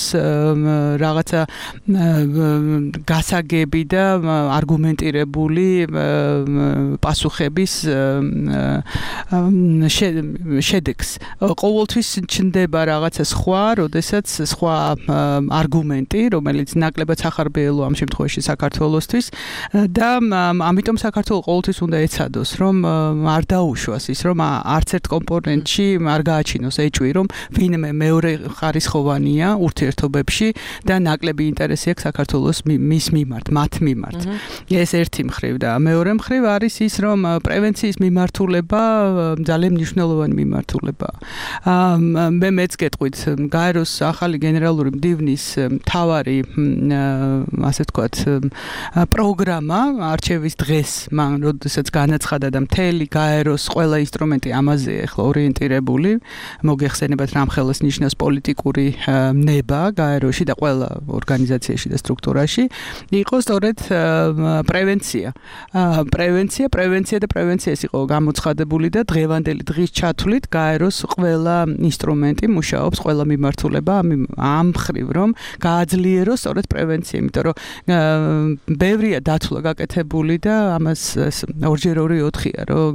რაღაცა გასაგები და არგუმენტირებული პასუხების შედეგს. ყოველთვის ჩნდება რაღაცა სხვა, როდესაც სხვა არგუმენტი, რომელიც ნაკლებად სახარბიელოა ამ შემთხვევაში საქართველოსთვის და ამიტომ საქართველოს ყოველთვის უნდა ეცადოს, რომ არ დაუშვას ის, რომ არც ერთ კომპონენტში არ გააჩინოს ეჭვი, რომ ვინმე მეორე ხარისხოვანია ურთიერთობებში და ნაკლები ინტერესი აქვს საქართველოს მის მიმართ, მათ მიმართ. ეს ერთი მხრივ და მეორე მხრივ არის ის, რომ პრევენციის მიმართულება ძალიან მნიშვნელოვანი მიმართულებაა. მე მეც გეტყვით, გაეროს ახალი გენერალური მდივნის მთავარი, ასე ვთქვათ, პროგრამა არჩევის დღეს, მან როდესაც განაცხადა და მთელი გაეროს ყველა ინსტრუმენტი ამაზე ახლა ორიენტირებული, მოგეხსენებათ რამხელას ნიშნავს პოლიტიკური ნება გაეროში და ყველა ორგანიზაციაში და სტრუქტურაში, იყო სწორედ პრევენცია და პრევენციას იყო გამოცხადებული და დღევანდელი დღის ჩათვლით გაეროს ყველა ინსტრუმენტი მუშაობს, ყველა მიმართულება ამ მხრივ, რომ გააძლიეროს სწორედ პრევენცია, იმიტომ რომ ბევრია დათვლა გაკეთებული და ამას 2x2-4-ია, რომ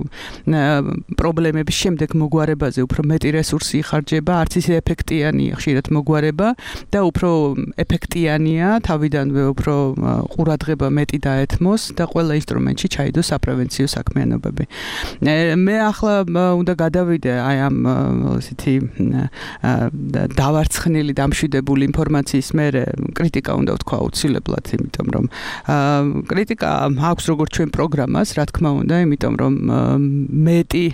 პრობლემების შემდეგ მოგვარებაზე უფრო მეტი რესურსი იხარჯება, არც ისე ეფექტიანია ხშირად მოგვარება და უფრო ეფექტიანია თავიდანვე უფრო ყურადღება მეტი დაეთმოს და ყველა ინსტრუმენტში ჩაიდოს საპრევენციო საქმიანობები. მე ახლა უნდა გადავიდე აი ამ ესეთი დავარცხნილი დამშვიდებული ინფორმაციის მერე კრიტიკა უნდა ვთქვა აუცილებლად, იმიტომ რომ კრიტიკა აქვს როგორც ჩვენ პროგრამას, რა თქმა უნდა, იმიტომ რომ მეტი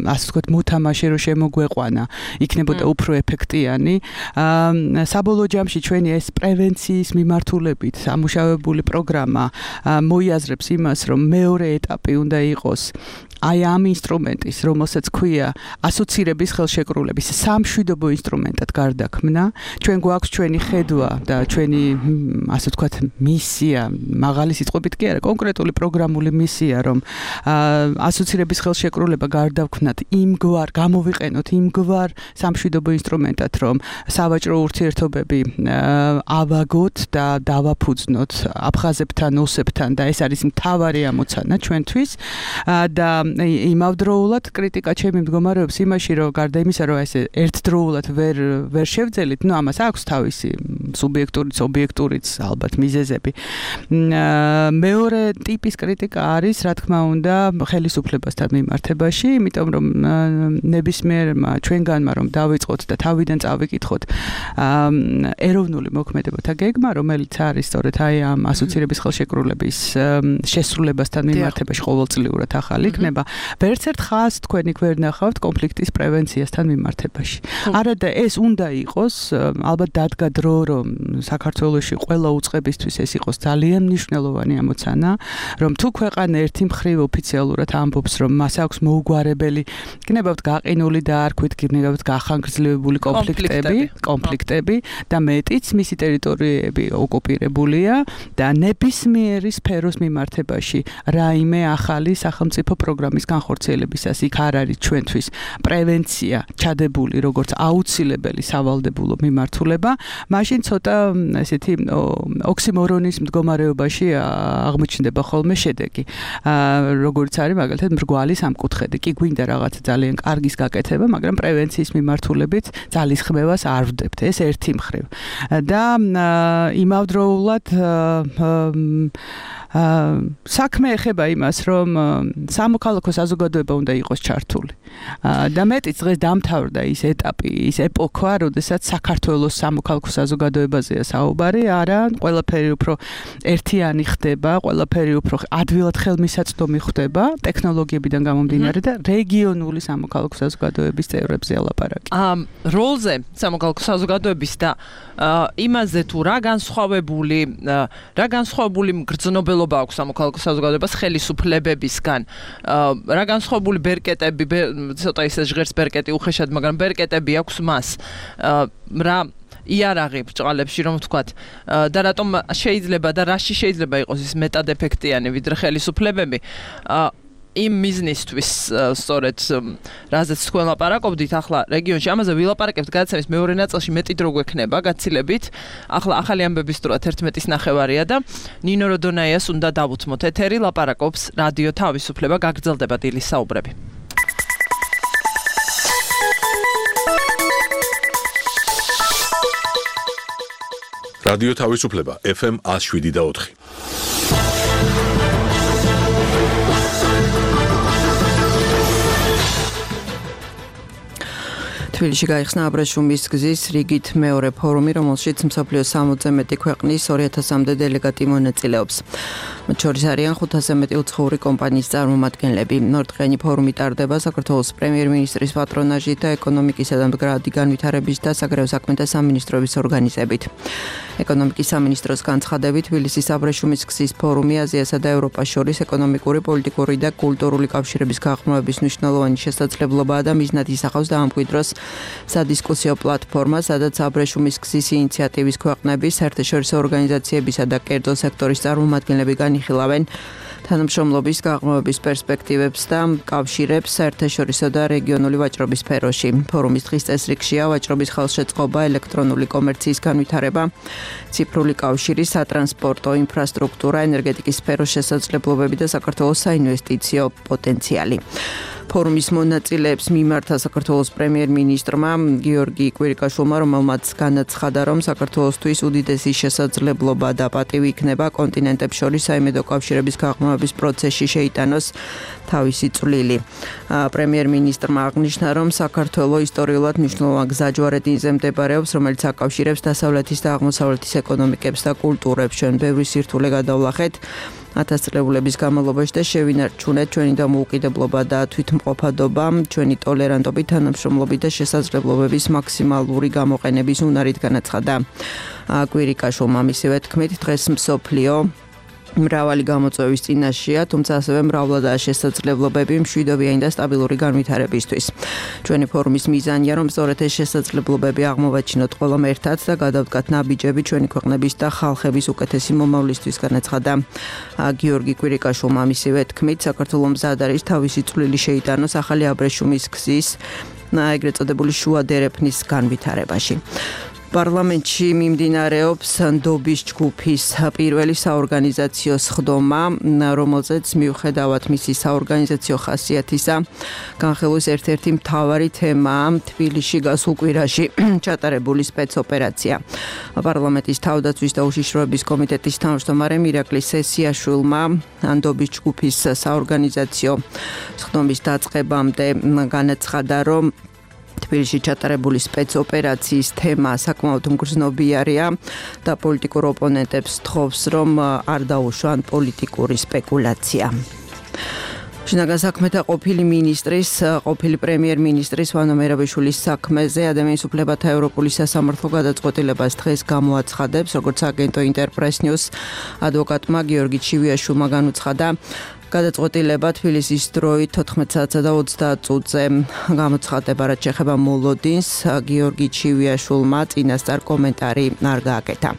ასე ვთქვათ მოთამაშე რო შემოგვეყვანა, იქნებოდა უფრო ეფექტიანი. საბოლოო ჯამში ჩვენი ეს პრევენციის მიმართულებით სამუშაოებული პროგრამა მოიაზრებს იმას, რომ მეორე ეტაპი უნდა იყოს აი ამ ინსტრუმენტის, რომელსაც ქვია ასოცირების ხელშეკრულების სამშვიდობო ინსტრუმენტად გარდაქმნა. ჩვენ გვაქვს ჩვენი ხედვა და ჩვენი ასე ვთქვათ მისია, მაღალი სიტყვებით კი არა, კონკრეტული პროგრამული მისია, რომ ასოცირების ხელშეკრულება გარდაქმნათ იმგვარ, გამოვიყენოთ იმგვარ სამშვიდობო ინსტრუმენტად, რომ სავაჭრო ურთიერთობები ავაგოთ და დავაფუძნოთ აფხაზებთან, ოსებთან და ეს არის მთავარი ამოცანა ჩვენთვის და იმავდროულად კრიტიკა ჩემი მდგომარეობს იმაში, რომ გარდა იმისა, რომ ეს ერთდროულად ვერ შევძელით, ნუ ამას აქვს თავისი სუბიექტურიც, ობიექტურიც ალბათ მიზეზები. მეორე ტიპის კრიტიკა არის, რა თქმა უნდა, ხელისუფლებასთან მიმართებაში, იმიტომ რომ ნებისმიერმა ჩვენგანმა რომ დავიწყოთ და თავიდან წავიკითხოთ ეროვნული მოქმედებათა გეგმა, რომელიც არის სწორედ აი ამ ასოცირების ხელშეკრულების შესრულებასთან მიმართებაში ყოველწლიურად ახალი იქნება. ვერც ერთ ხაზს თქვენ იქ ვერ ნახავთ კონფლიქტის პრევენციასთან მიმართებაში. არადა ეს უნდა იყოს, ალბათ დადგა დრო, რომ საქართველოში ყველა უწყებისთვის ეს იყოს ძალიან მნიშვნელოვანი ამოცანა, რომ თუ ქვეყანა ერთი მხრივ ოფიციალურად ამბობს, რომ მას აქვს მოუგვარებელი, გნებავთ გაყინული და არქვით, გნებავთ გახანგრძლივებული კონფლიქტები და მეტიც მისი ტერიტორიები ოკუპირებულია და ნებისმიერი სფერო სფეროს მიმართებაში რაიმე ახალი სახელმწიფო პროგრამის განხორციელებისას იქ არ არის ჩვენთვის პრევენცია ჩადებული როგორც აუცილებელი სავალდებულო მიმართულება, მაშინ ცოტა ესეთი ოქსიმორონის მდგომარეობაში აღმოჩნდება ხოლმე შედეგი. როგორც არის მაგალითად მრგვალი სამკუთხედი. კი გვინდა რაღაც ძალიან კარგის გაკეთება, მაგრამ პრევენციის მიმართულებით ძალისხმევას არ ვდებთ. ეს ერთი მხრივ. და იმავდროულად საქმე ეხება იმას, რომ სამოქალაქო საზოგადოება უნდა იყოს ჩართული. და მეტიც დღეს დამთავრდა ის ეტაპი, ის ეპოქა, როდესაც საქართველოს სამოქალაქო საზოგადოებაზეა საუბარი, არა, ყველაფერი უფრო ერთიანი ხდება, ყველაფერი უფრო ადვილად ხელმისაწვდომი ხდება ტექნოლოგიებიდან გამომდინარე და რეგიონული სამოქალაქო საზოგადოების წევრებზე ლაპარაკი. როლზე სამოქალაქო საზოგადოების და იმაზე თუ რა განსხვავებული მგრძნობელობა აქვს სამოქალაქო საზოგადოებას ხელისუფლებებისგან, რა განსხვავებული ბერკეტები, ცოტა ისე ჟღერს ბერკეტი უხეშად, მაგრამ ბერკეტები აქვს მას, რა იარაღი ბრჭყალებში რომ ვთქვათ, და რატომ შეიძლება და რაში შეიძლება იყოს ის მეტად ეფექტიანი ვიდრე ხელისუფლებები, იმ მიზნისთვის სწორედ რაზეც თქვენ ლაპარაკობდით ახლა რეგიონში, ამაზე ვილაპარაკებთ გადაცემის მეორე ნაწილში მეტი დრო გვექნება გაცილებით. ახლა ახალი ამბების დროა 11:30 და ნინო როდონაიას უნდა დავუთმოთ ეთერი, ლაპარაკობს რადიო თავისუფლება, გაგრძელდება დილის საუბრები. რადიო თავისუფლება FM 107.4. თბილისში გაიხსნა აბრეშუმის გზის რიგით მეორე ფორუმი, რომელშიც მსოფლიოს 60-ზე მეტი ქვეყნის 2000-მდე დელეგატი მონაწილეობს. მათ შორის არიან 500-ზე მეტი უცხოური კომპანიის წარმომადგენლები. ნორდღიანი ფორუმი ტარდება საქართველოს პრემიერ-მინისტრის პატრონაჟით და ეკონომიკისა და მდგრადი განვითარების და საგარეო საქმეთა სამინისტროების ორგანიზებით. ეკონომიკის სამინისტროს განცხადებით, თბილისის აბრეშუმის გზის ფორუმი აზიასა და ევროპას შორის ეკონომიკური, პოლიტიკური და კულტურული კავშირების გაღრმავების მნიშვნელოვანი შესაძლებლობაა და მიზნად ისახავს დაამკვიდროს სადისკუსიო პლატფორმა, სადაც აბრეშუმის გზის ინიციატივის ქვეყნების, საერთაშორისო ორგანიზაციებისა და კერძო სექტორის წარმომადგენლები განიხილავენ თანამშრომლობის გაღრმავების პერსპექტივებს და კავშირებს საერთაშორისო და რეგიონული ვაჭრობის სფეროში. ფორუმის დღის წესრიგშია ვაჭრობის ხელშეწყობა, ელექტრონული კომერციის განვითარება, ციფრული კავშირი, სატრანსპორტო ინფრასტრუქტურა, ენერგეტიკის სფეროს შესაძლებლობები და საქართველოს საინვესტიციო პოტენციალი. ფორუმის მონაწილეებს მიმართა საქართველოს პრემიერ-მინისტრმა გიორგი კვირიკაშვილმა, რომელმაც განაცხადა, რომ საქართველოსთვის უდიდესი შესაძლებლობა და პატივი იქნება კონტინენტებს შორის საიმედო კავშირების გაღრმავების პროცესში შეიტანოს თავისი წვლილი. პრემიერ-მინისტრმა აღნიშნა, რომ საქართველო ისტორიულად მნიშვნელოვან გზაჯვარედინზე მდებარეობს, რომელიც აკავშირებს დასავლეთის და აღმოსავლეთის ეკონომიკებს და კულტურებს. ჩვენ ბევრი სირთულე გადავლახეთ 1000 წლების განმავლობაში და შევინარჩუნეთ ჩვენი დამოუკიდებლობა და თვითმყოფადობა, ჩვენი ტოლერანტობით, თანამშრომლობით და შესაძლებლობების მაქსიმალური გამოყენების უნარით განაცხადა კვირიკაშვილმა. მისივე თქმით, დღეს მსოფლიო მრავალი გამოწვევის წინაშეა, თუმცა ასევე მრავლადაა შესაძლებლობები მშვიდობიანი და სტაბილური განვითარებისთვის. ჩვენი ფორუმის მიზანია, რომ სწორედ ეს შესაძლებლობები აღმოვაჩინოთ ყველამ ერთად და გადავდგათ ნაბიჯები ჩვენი ქვეყნების და ხალხების უკეთესი მომავლისთვის, განაცხადა გიორგი კვირიკაშვილმა. მისივე თქმით, საქართველოს მზად არის თავისი წვლილი შეიტანოს ახალი აბრეშუმის გზის, ეგრეთ წოდებული შუა დერეფნის განვითარებაში. პარლამენტში მიმდინარეობს ნდობის ჯგუფის პირველი საორგანიზაციო სხდომა, რომელზეც მიუხედავად მისი საორგანიზაციო ხასიათისა, განხილვის ერთ-ერთი მთავარი თემაა თბილისში გასულ კვირაში ჩატარებული სპეცოპერაცია. პარლამენტის თავდაცვის და უშიშროების კომიტეტის თავმჯდომარე მირაკლი სესიაშვილმა ნდობის ჯგუფის საორგანიზაციო სხდომის დაწყებამდე განაცხადა, რომ თბილისში ჩატარებული სპეცოპერაციის თემა საკმაოდ მგრძნობიარეა და პოლიტიკურ ოპონენტებს თხოვს, რომ არ დაუშვან პოლიტიკური სპეკულაცია. შინაგან საქმეთა ყოფილი პრემიერ-მინისტრის ვანო მერაბიშვილის საქმეზე ადამიანის უფლებათა ევროპული სასამართლო გადაწყვეტილებას დღეს გამოაცხადებს, როგორც აგენტო ინტერპრეს ნიუს ადვოკატმა გიორგი ჩივიაშვილმა განუცხადა. გადაწყვეტილება თბილისის დროით 14:30-ზე გამოცხადება, რაც შეეხება მოლოდინს. გიორგი ჩივიაშვილმა წინასწარ კომენტარი არ გააკეთა.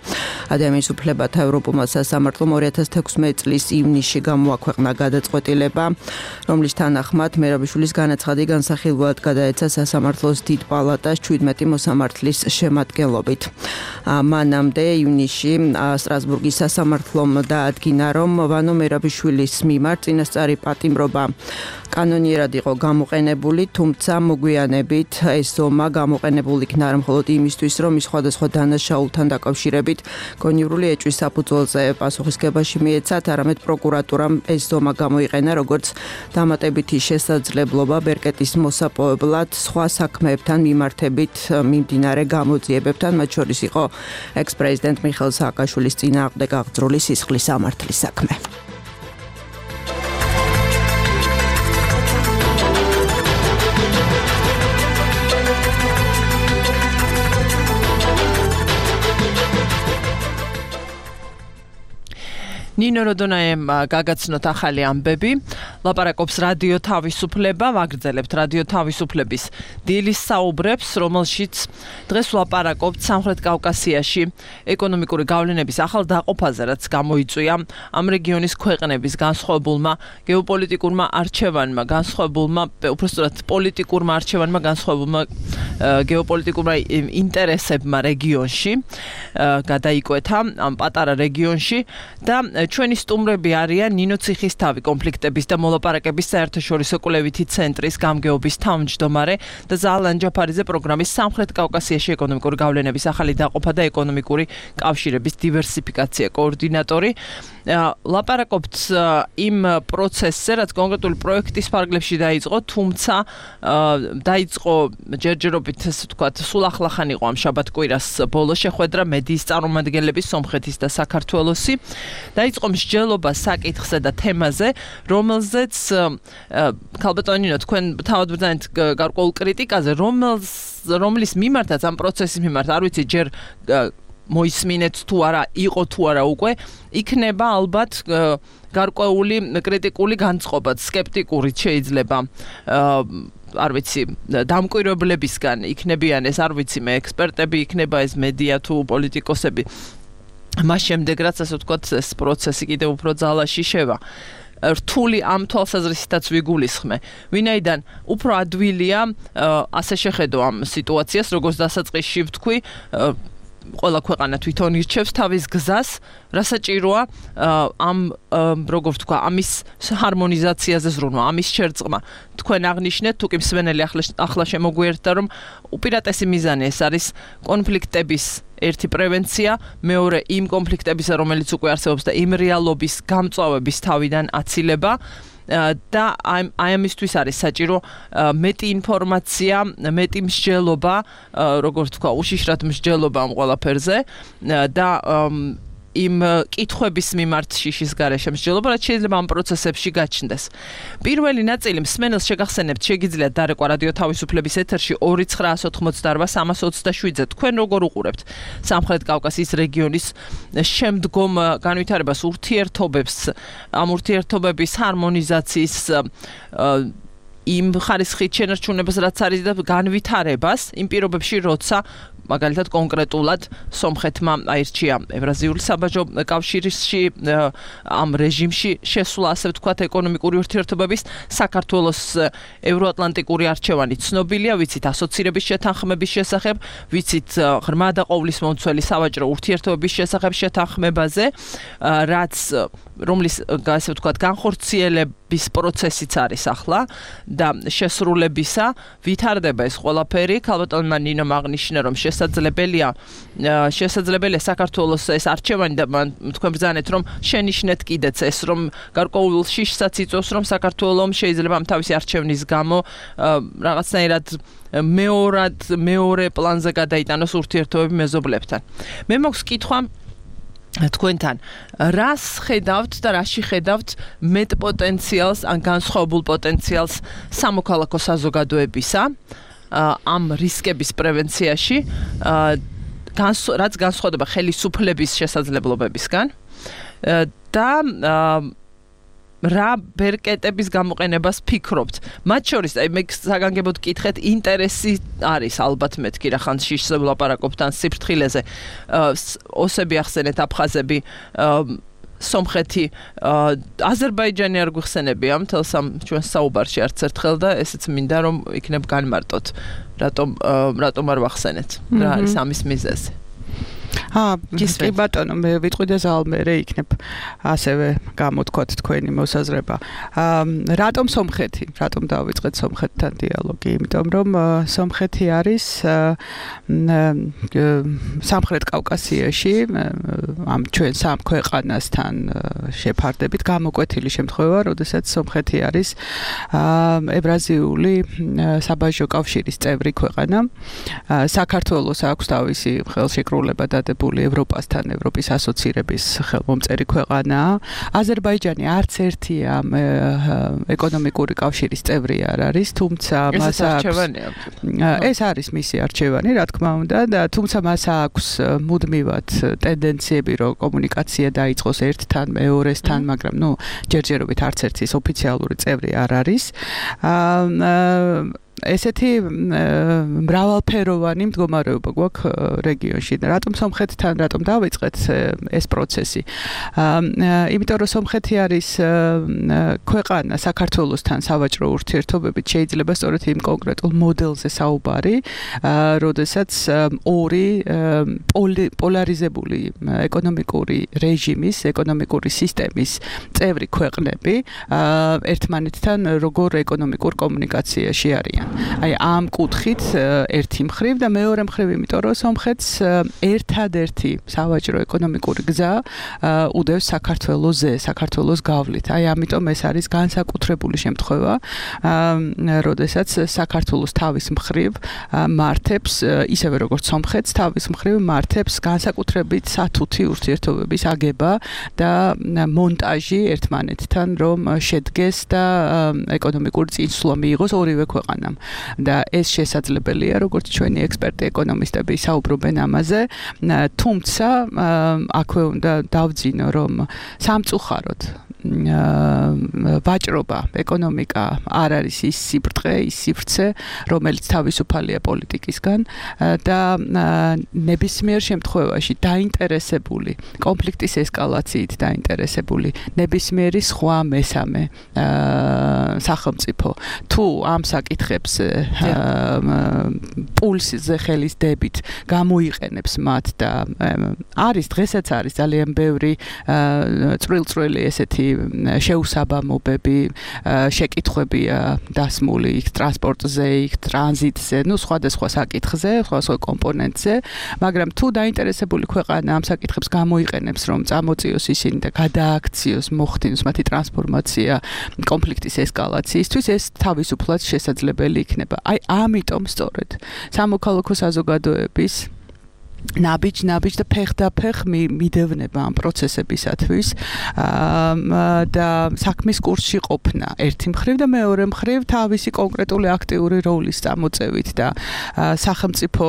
ადამიანის უფლებათა ევროპულმა სასამართლომ 2016 წლის ივნისში გამოაქვეყნა გადაწყვეტილება, რომლის თანახმად მერაბიშვილის განაცხადი განსახილველად გადაეცა სასამართლოს დიდ პალატას 17 მოსამართლის შემადგენლობით. მანამდე ივნისში სტრასბურგის სასამართლომ დაადგინა, რომ ვანო მერაბიშვილის მიმართ წინასწარი პატიმრობა კანონიერად იყო გამოყენებული, თუმცა მოგვიანებით ეს ზომა გამოყენებული იქნა არა მხოლოდ იმისთვის, რომ ის სხვადასხვა დანაშაულთან დაკავშირებით კონიურული ეჭვის საფუძველზე პასუხისგებაში მიეცათ, არამედ პროკურატურამ ეს ზომა გამოიყენა როგორც დამატებითი შესაძლებლობა ბერკეტის მოსაპოვებლად სხვა საქმეებთან მიმართებით მიმდინარე გამოძიებებთან, მათ შორის იყო ექს-პრეზიდენტ მიხეილ სააკაშვილის წინააღმდეგ აღძრული სისხლის სამართლის საქმე. ნინო როდონაემ გაგაცნოთ ახალი ამბები, ლაპარაკობს რადიო თავისუფლება, ვაგრძელებთ რადიო თავისუფლების დილის საუბრებს, რომელშიც დღეს ვლაპარაკობთ სამხრეთ კავკასიაში ეკონომიკური გავლენების ახალ დაყოფაზე, რაც გამოიწვია ამ რეგიონის ქვეყნების განსხვავებულმა გეოპოლიტიკურმა არჩევანმა, უпростоრად პოლიტიკურმა არჩევანმა, განსხვავებულმა გეოპოლიტიკურმა ინტერესებმა რეგიონში, გადაიკვეთა ამ პატარა რეგიონში და ჩვენი სტუმრები არიან ნინო ციხისთავი კონფლიქტების და მოლაპარაკების საერთაშორისო კვლევითი ცენტრის გამგეობის თავმჯდომარე და ზალან ჯაფარიძე პროგრამის სამხრეთ კავკასიაში ეკონომიკური გავლენების ახალი დაყოფა და ეკონომიკური კავშირების დივერსიფიკაცია კოორდინატორი. ლაპარაკობთ იმ პროცესზე, რაც კონკრეტული პროექტის ფარგლებში დაიწყო, თუმცა დაიწყო ჯერჯერობით, ასე ვთქვათ, სულ ახლახან იყო ამ შაბათ-კვირას ბოლოს შეხვედრა მედიის წარმომადგენლების სომხეთის და საქართველოსი. დაიწყო მსჯელობა საკითხზე და თემაზე, რომელზეც ქალბატონინო თქვენ თავად ბრძანეთ გარკვეულ კრიტიკაზე, რომლის მიმართაც ამ პროცესის მიმართ, არ ვიცი ჯერ მოისმინეთ თუ არა, იყო თუ არა უკვე, იქნება ალბათ გარკვეული კრიტიკული განწყობაც, სკეპტიკურიც შეიძლება არ ვიცი, დამკვირვებლებისგან იქნებიან ეს, არ ვიცი მე, ექსპერტები იქნება ეს მედია თუ პოლიტიკოსები. მას შემდეგ რაც ასე ვთქვათ, ეს პროცესი კიდევ უფრო ძალაში შევა. რთული ამ თვალსაზრისითაც ვიგულისხმე, ვინაიდან უფრო ადვილია ასე შეხედო ამ სიტუაციას, როგორც დასაწყისში ვთქვი, ყველა ქვეყანა თვითონ ირჩევს თავის გზას, რასაჭიროა ამ როგორ ვთქვა, ამის ჰარმონიზაციაზე ზრუნვა, ამის შერწყმა. თქვენ აღნიშნეთ, თუ კი მსმენელი ახლა შემოგვიერთდა, რომ უპირატესი მიზანი ეს არის კონფლიქტების ერთი პრევენცია, მეორე იმ კონფლიქტებისა, რომელიც უკვე არსებობს და იმ რეალობის გამწვავების თავიდან აცილება. და აი ამისთვის არის საჭირო მეტი ინფორმაცია, მეტი მსჯელობა, როგორც თქვა, უშიშრად მსჯელობა ამ ყველაფერზე და იმ კითხვების მიმართ შიშის გარეშე მსჯელობა, რაც შეიძლება ამ პროცესებში გაჩნდეს. პირველი ნაწილი მსმენელს შეგახსენებთ, შეგიძლიათ დარეკვა რადიო თავისუფლების ეთერში 2988327-ზე. თქვენ როგორ უყურებთ სამხრეთ კავკასიის რეგიონის შემდგომ განვითარებას, ურთიერთობებს, ამ ურთიერთობების ჰარმონიზაციის იმ ხარისხით შენარჩუნებას, რაც არის და განვითარებას იმ პირობებში, როცა მაგალითად კონკრეტულად სომხეთმა აირჩია ევრაზიული საბაჟო კავშირში ამ რეჟიმში შესვლა, ასე ვთქვათ, ეკონომიკური ურთიერთობების საქართველოს ევროატლანტიკური არჩევანი ცნობილია, ვიცით ასოცირების შეთანხმების შესახებ, ვიცით ღრმა და ყოვლისმომცველი სავაჭრო ურთიერთობების შესახებ შეთანხმებაზე, რომლის ასე ვთქვათ განხორციელების პროცესიც არის ახლა და შესრულებისა ვითარდება ეს ყველაფერი. ქალბატონმა ნინომ აღნიშნა, რომ შესაძლებელია საქართველოს ეს არჩევანი და თქვენ ბრძანეთ, რომ შენიშნეთ კიდეც ეს, რომ გარკვეულ შიშსაც იწვევს, რომ საქართველოს შეიძლება ამ თავისი არჩევნის გამო რაღაცნაირად მეორე პლანზე გადაიტანოს ურთიერთობები მეზობლებთან. მე მაქვს კითხვა თქვენთან, რას ხედავთ და რაში ხედავთ მეტ პოტენციალს, ან განსხვავებულ პოტენციალს სამოქალაქო საზოგადოებისა ამ რისკების პრევენციაში, რაც განსხვავდება ხელისუფლების შესაძლებლობებისგან და რა ბერკეტების გამოყენებას ფიქრობთ? მათ შორის, მე საგანგებოდ გკითხეთ, ინტერესი არის ალბათ მეთქი რა ხან შიშზე ვლაპარაკობთ ან სიფრთხილეზე. ოსები ახსენეთ, აფხაზები, სომხეთი, აზერბაიჯანი არ გვიხსენებია მთელს ამ ჩვენ საუბარში არც ერთხელ და ესეც მინდა რომ იქნებ განმარტოთ. რატომ არ ვახსენეთ? რა არის ამის მიზეზი? კი ბატონო, მე ვიტყვი და ზალმერე იქნებ ასევე გამოთქვათ თქვენი მოსაზრება. რატომ სომხეთი? რატომ დავიწყეთ სომხეთთან დიალოგი? იმიტომ რომ სომხეთი არის სამხრეთ კავკასიაში ამ ჩვენ სამ ქვეყანასთან შეფარდებით გამოკვეთილი შემთხვევა, როდესაც სომხეთი არის ევრაზიული საბაჟო კავშირის წევრი ქვეყანა. საქართველოს აქვს თავისი ხელშეკრულება დადებული ევროპასთან, ევროპის ასოცირების ხელმომწერი ქვეყანაა. აზერბაიჯანი არც ერთი ამ ეკონომიკური კავშირის წევრი არ არის, თუმცა მას ეს არის მისი არჩევანი, რა თქმა უნდა, და თუმცა მას აქვს მუდმივად ტენდენციები, რომ კომუნიკაცია დაიწყოს ერთთან, მეორესთან, მაგრამ ჯერჯერობით არც ერთის ოფიციალური წევრი არ არის. ესეთი მრავალფეროვანი მდგომარეობა გვაქვს რეგიონში. რატომ სომხეთთან, რატომ დავიწყეთ ეს პროცესი? იმიტომ რომ სომხეთი არის ქვეყანა საქართველოსთან სავაჭრო ურთიერთობებით, შეიძლება სწორედ იმ კონკრეტულ მოდელზე საუბარი, როდესაც ორი პოლარიზებული ეკონომიკური რეჟიმის, ეკონომიკური სისტემის წევრი ქვეყნები ერთმანეთთან როგორ ეკონომიკურ კომუნიკაციაში არიან. აი ამ კუთხით ერთი მხრივ და მეორე მხრივ, იმიტომ რომ სომხეთს ერთადერთი სავაჭრო ეკონომიკური გზა უდევს საქართველოსზე, საქართველოს გავლით. აი ამიტომ ეს არის განსაკუთრებული შემთხვევა, როდესაც საქართველოს თავის მხრივ მართებს, ისევე როგორც სომხეთს თავის მხრივ მართებს განსაკუთრებით სათუთი ურთიერთობების აგება და მონტაჟი ერთმანეთთან, რომ შედგეს და ეკონომიკური წინსვლა მიიღოს ორივე ქვეყანამ. და ეს შესაძლებელია, როგორც ჩვენი ექსპერტი ეკონომისტები საუბრობენ ამაზე, თუმცა აქვე უნდა დავძინო, რომ სამწუხაროდ ვაჭრობა, ეკონომიკა არ არის ის სიბრტყე, ის სივრცე, რომელიც თავისუფალია პოლიტიკისგან და ნებისმიერ შემთხვევაში დაინტერესებული, კონფლიქტის ესკალაციით დაინტერესებული ნებისმიერი სხვა მესამე სახელმწიფო თუ ამ საკითხებს პულსზე ხელის დებით გამოიყენებს მათ და დღესაც არის ძალიან ბევრი წვრილ-წვრილი ესეთი შეუსაბამობები, შეკითხვებია დასმული იქ ტრანსპორტზე, იქ ტრანზიტზე, სხვადასხვა საკითხზე, სხვადასხვა კომპონენტზე, მაგრამ თუ დაინტერესებული ქვეყანა ამ საკითხებს გამოიყენებს, რომ წამოწიოს ისინი და გადააქციოს, მოხდინოს მათი ტრანსფორმაცია კონფლიქტის ესკალაციისთვის, ეს თავისუფლად შესაძლებელი იქნება. აი ამიტომ სწორედ სამოქალაქო საზოგადოების ნაბიჯ და ფეხ მიდევნება ამ პროცესებისათვის და საქმის კურსში ყოფნა ერთი მხრივ და მეორე მხრივ თავისი კონკრეტული აქტიური როლის წამოწევით და სახელმწიფო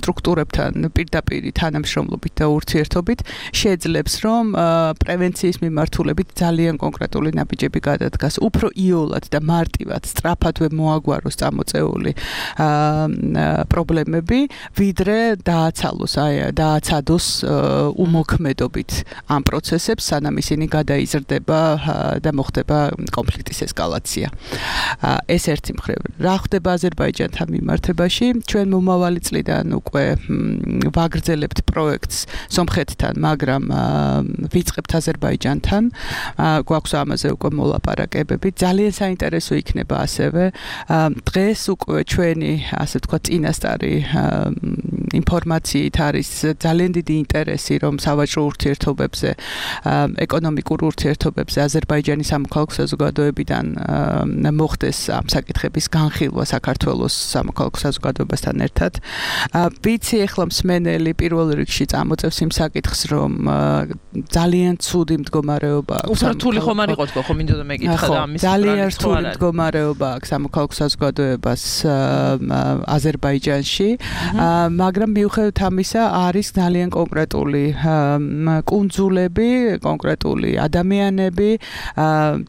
სტრუქტურებთან პირდაპირ თანამშრომლობით და ურთიერთობით შეძლებს, რომ პრევენციის მიმართულებით ძალიან კონკრეტული ნაბიჯები გადადგას, უფრო იოლად და მარტივად, სწრაფადვე მოაგვაროს წამოწეული პრობლემები, ვიდრე დააცადოს უმოქმედობით ამ პროცესებს, სანამ ისინი გადაიზრდება და მოხდება კონფლიქტის ესკალაცია. ეს ერთი მხრივ. რა ხდება აზერბაიჯანთან მიმართებაში? ჩვენ მომავალი წლიდან უკვე ვაგრძელებთ პროექტს სომხეთთან, მაგრამ ვიწყებთ აზერბაიჯანთან. გვაქვს ამაზე უკვე მოლაპარაკებები. ძალიან საინტერესო იქნება ასევე დღეს უკვე ჩვენი, ასე ვთქვათ, წინასწარი ინფორმაციით არის ძალიან დიდი ინტერესი, რომ სავაჭრო ურთიერთობებზე, ეკონომიკურ ურთიერთობებზე აზერბაიჯანის სამოქალაქო საზოგადოებიდან მოხდეს ამ საკითხების განხილვა საქართველოს სამოქალაქო საზოგადოებასთან ერთად. ვიცი ახლა მსმენელი პირველ რიგში წამოწევს იმ საკითხს, რომ ძალიან ცუდი მდგომარეობა აქვს. უფრო რთული ხომ არ იყო თქო, მინდოდა მეკითხა და ამის ძალიან რთული მდგომარეობა აქვს სამოქალაქო საზოგადოებას აზერბაიჯანში, მაგრამ მაგრამ მიუხედავად ამისა არის ძალიან კონკრეტული კუნძულები, კონკრეტული ადამიანები,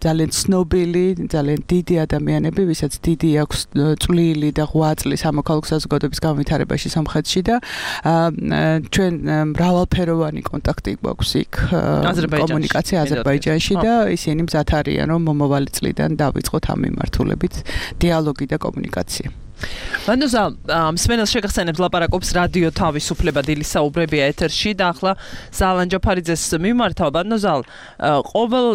ძალიან ცნობილი, ძალიან დიდი ადამიანები, ვისაც დიდი აქვს წვლილი და ღვაწლი სამოქალაქო საზოგადოების განვითარებაში სამხრეთში და ჩვენ მრავალფეროვანი კონტაქტი გვაქვს იქ კომუნიკაცია აზერბაიჯანში და ისინი მზად არიან რომ მომავალი წლიდან დავიწყოთ ამ მიმართულებით დიალოგი და კომუნიკაცია. Ბანოზა, მსმენელს შეგახსენებთ ლაპარაკობს რადიო თავისუფლება დილის საუბრებია ეთერში და ახლა ზალან ჯაფარიძეს მიმართავ. ბანოზა, ყოველ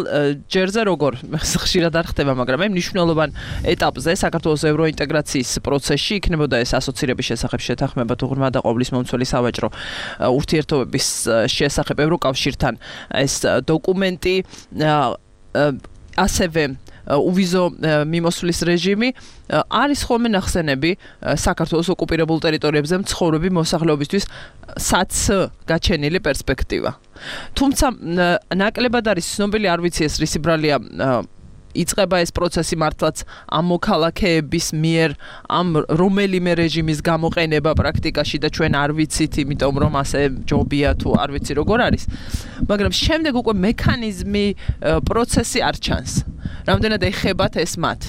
ჯერზე როგორ ხშირად არ ხდება, მაგრამ მე მნიშვნელოვან ეტაპზე საქართველოს ევროინტეგრაციის პროცესში იქნებოდა ეს ასოცირების შესახებ შეთანხმება თუ ღრმა და ყოვლის მომცველი სავაჭრო ურთიერთობების შესახებ ევროკავშირთან ეს დოკუმენტი ასევე uvizო მიმოსვლის რეჟიმი არის ხოლმე ნახსენები საქართველოს ოკუპირებულ ტერიტორიებზე მცხოვრები მოსახლეობისთვის საც გაჩენილი პერსპექტივა. თუმცა ნაკლებად არის ცნობილი, არ ვიცი ეს რისი ბრალია იწყება ეს პროცესი მართლაც ამ მოქალაქეების მიერ ამ რომელიმე რეჟიმის გამოყენება პრაქტიკაში და ჩვენ არ ვიცით, იმიტომ რომ ასე ჯობია თუ არ ვიცი როგორ არის. მაგრამ შემდეგ უკვე მექანიზმი პროცესი არ ჩანს. რამდენად ეხებათ ეს მათ?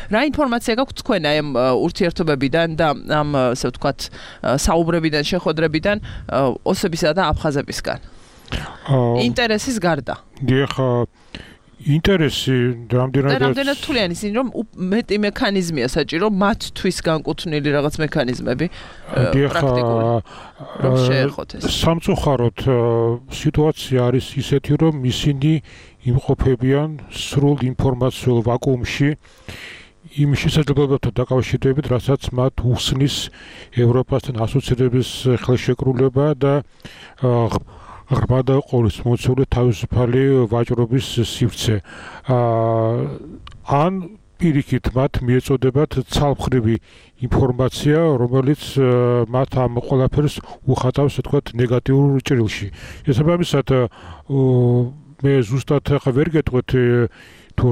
რა ინფორმაცია გაქვთ თქვენ აი ამ ურთიერთობებიდან და ამ ასე ვთქვათ საუბრებიდან, შეხვედრებიდან ოსებისა და აფხაზებისგან? ინტერესის გარდა. ინტერესი რამდენად თვლიანი ისინი რომ მეტი მექანიზმია საჭირო მათთვის განკუთვნილი რაღაც მექანიზმები პრაქტიკული რომ შეეხოთ ეს. სამწუხაროდ სიტუაცია არის ისეთი რომ ისინი იმყოფებიან სრულ ინფორმაციულ ვაკუუმში იმ შესაძლებლობებთან დაკავშირებით, რასაც მათ უხსნის ევროპასთან ასოცირების ხელშეკრულება და ღრმა და ყოვლისმომცველი თავისუფალი ვაჭრობის სივრცე. ან პირიქით მათ მიეწოდებათ ცალმხრივი ინფორმაცია, რომელიც მათ ამ ყველაფერს უხატავს, ასე ვთქვათ, ნეგატიურ ჭრილში. შესაბამისად, მე ზუსტად ახლა ვერ გეტყვით თუ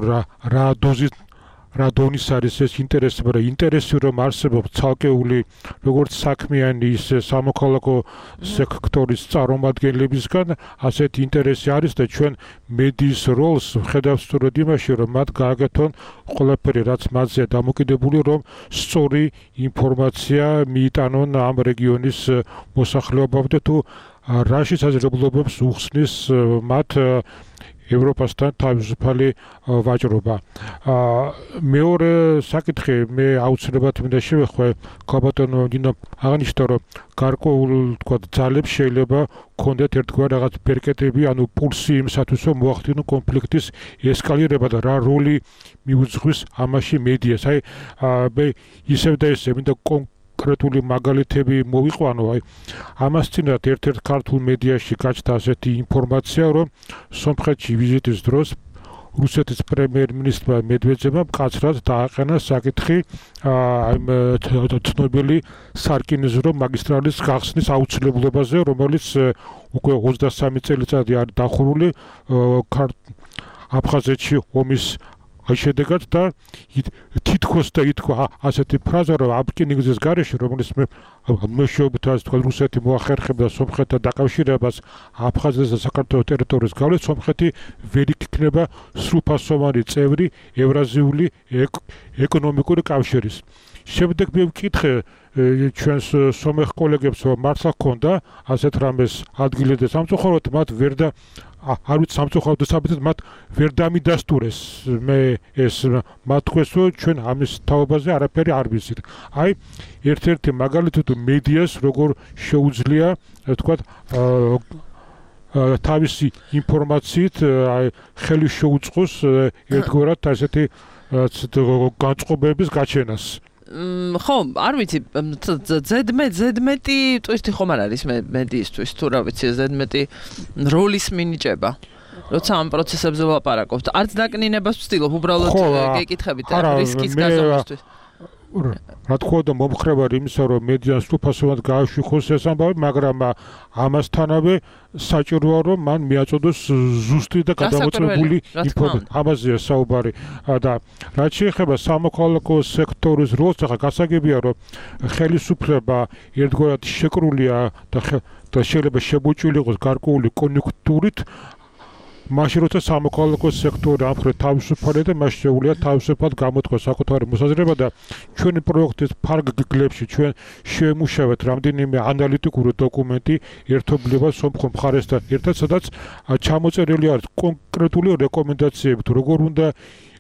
რა დონის არის ეს ინტერესი, მაგრამ ინტერესი რომ არსებობს ცალკეული როგორც საქმიანი ისე სამოქალაქო სექტორის წარმომადგენლებისგან, ასეთი ინტერესი არის და ჩვენ მედიის როლს ვხედავთ სწორედ იმაში, რომ მათ გააკეთონ ყველაფერი, რაც მათზეა დამოკიდებული, რომ სწორი ინფორმაცია მიიტანონ ამ რეგიონის მოსახლეობამდე თუ რა შესაძლებლობებს უხსნის მათ ევროპასთან თავისუფალი ვაჭრობა. მეორე საკითხი მე აუცილებლად მინდა შევეხმე ქაბატონო დინო აღნიშნა რომ გარკვეულ თქვა ძალებს შეიძლება ქონდეთ ერთგვარ რაღაც ბერკეტები, ანუ პულსი იმისათვის რომ მოახდინონ კონფლიქტის ესკალირება და რა როლი მიუძღვის ამაში მედიას. აი მე ისევ და ისევ მინდა კონკრეტული მაგალითები მოვიყვანო. აი ამას წინათ ერთ-ერთ ქართულ მედიაში გაჩნდა ასეთი ინფორმაცია, რომ სომხეთში ვიზიტის დროს რუსეთის პრემიერ-მინისტრმა მედვედევმა მკაცრად დააყენა საკითხი ცნობილი სარკინიზრო მაგისტრალის გახსნის აუცილებლობაზე, რომელიც უკვე 23 წელიწადი არის დახურული აფხაზეთში ომის შედეგად და თითქოს და ითქვა ასეთი ფრაზა, რომ ამ რკინიგზის გარეშე, რომელიც მეშვეობით ასე თქვა რუსეთი მოახერხებდა სომხეთთან დაკავშირებას აფხაზეთის და საქართველოს ტერიტორიის გავლით, სომხეთი ვერ იქნება სრულფასოვანი წევრი ევრაზიული ეკონომიკური კავშირის. შემდეგ მე ვკითხე ჩვენს სომეხ კოლეგებს, რომ მართლა ჰქონდა ასეთ რამეს ადგილი და სამწუხაროდ მათ ვერ და არ ვიცი სამწუხაროდ საბედად მათ ვერ დამიდასტურეს. მე ეს მათ თქვეს, რომ ჩვენ ამის თაობაზე არაფერი არ ვიცით. აი ერთ-ერთი მაგალითი თუ მედიას როგორ შეუძლია თქვათ თავისი ინფორმაციით ხელი შეუწყოს ერთგვარად ასეთი განწყობების გაჩენას. ხო, არ ვიცი, ზედმეტი ტვისტი ხომ არ არის მედიისთვის, თუ რა ვიცი, ზედმეტი როლის მინიჭება. როცა ამ პროცესებზე ვლაპარაკობთ, არც დაკნინებას ვცდილობ, უბრალოდ გეკითხებით რისკის გაზომვისთვის. რა თქმა უნდა მომხრება იმისა, რომ მედიას სრულფასოვნად გააშვიხოს ეს ამბავი, მაგრამ ამასთანავე საჭიროა, რომ მან მიაწოდოს ზუსტი და გადამოწმებული ინფორმაცია. ამაზეა საუბარი და რაც შეეხება სამოქალაქო სექტორის როლს, ახლა გასაგებია, რომ ხელისუფლება ერთგვარად შეკრულია და შეიძლება შემოჭრილი იყოს გარკვეული კონიუნქტურით, მაშინ როცა სამოქალაქო სექტორი ამხრივ თავისუფალია და მას შეუძლია თავისუფლად გამოთქვას საკუთარი მოსაზრება და ჩვენი პროექტის ფარგლებში ჩვენ შევემუშავეთ რამდენიმე ანალიტიკური დოკუმენტი ერთობლივად სომხურ მხარესთან ერთად, სადაც ჩამოწერილი არის კონკრეტული რეკომენდაციები თუ როგორ უნდა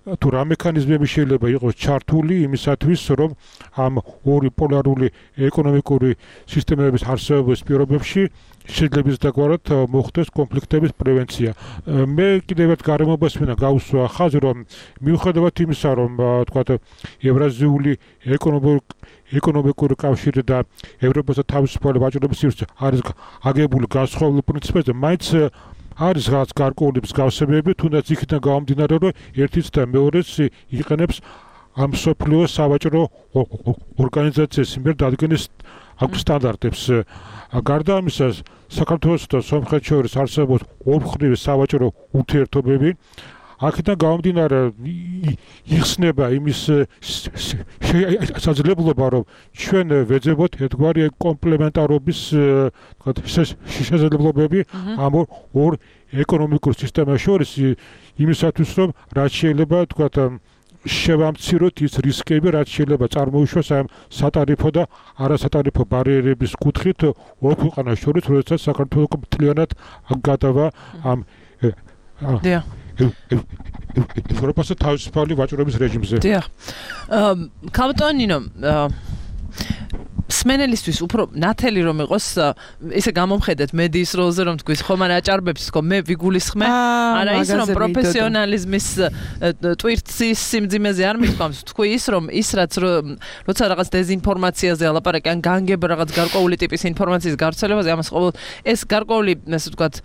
თუ რა მექანიზმები შეიძლება იყოს ჩართული იმისათვის, რომ ამ ორი პოლარული ეკონომიკური სისტემების არსებობის პირობებში შეძლების დაგვარად მოხდეს კონფლიქტების პრევენცია. მე კიდევ ერთ გარემობას მინდა გავუსვა ხაზი, რომ მიუხედავად იმისა, რომ თქვათ ევრაზიული ეკონომიკური კავშირი და ევროპასა თავისუფალი ვაჭრობის სივრცე არის აგებული განსხვავებულ პრინციპებზე, მაინც არის რაღაც გარკვეული მსგავსებები, თუნდაც იქიდან გამომდინარე, რომ ერთიც და მეორეც იყენებს ამ მსოფლიო სავაჭრო ორგანიზაციის მიერ დადგენის სტანდარტებს. გარდა ამისა, საქართველოსა და სომხეთს შორის არსებობს ორმხრივი სავაჭრო ურთიერთობები. აქედან გამომდინარე იხსნება იმის შესაძლებლობა, რომ ჩვენ ვეძებოთ ერთგვარი კომპლემენტარობის შესაძლებლობები ამ ორ ეკონომიკურ სისტემას შორის იმისათვის, რომ რაც შეიძლება თქვათ შევამციროთ ის რისკები, რაც შეიძლება წარმოიშვას ამ სატარიფო და არასატარიფო ბარიერების კუთხით ორ ქვეყანას შორის, როდესაც საქართველოს მთლიანად გადავა ამ ევროპასა თავისუფალი ვაჭრობის რეჟიმზე. დიახ. კაპიტანინო სმენელისთვის უფრო ნათელი რომ იყოს ესე გამომხედეთ მედიის როლზე რომ თქვის ხომ არ აჭარბებს თქო მე ვიგულისხმე არა ის რომ პროფესიონალიზმის ტვირთის სიმძიმეზე არ მიყვამს თქვი ის რომ ის რაც როცა რაღაც დეზინფორმაციაზე ალაპარაკი ან განგებ რაღაც გარკვეული ტიპის ინფორმაციის გავრცელებაზე ამას ყოველ ეს გარკვეული ასე ვთქვათ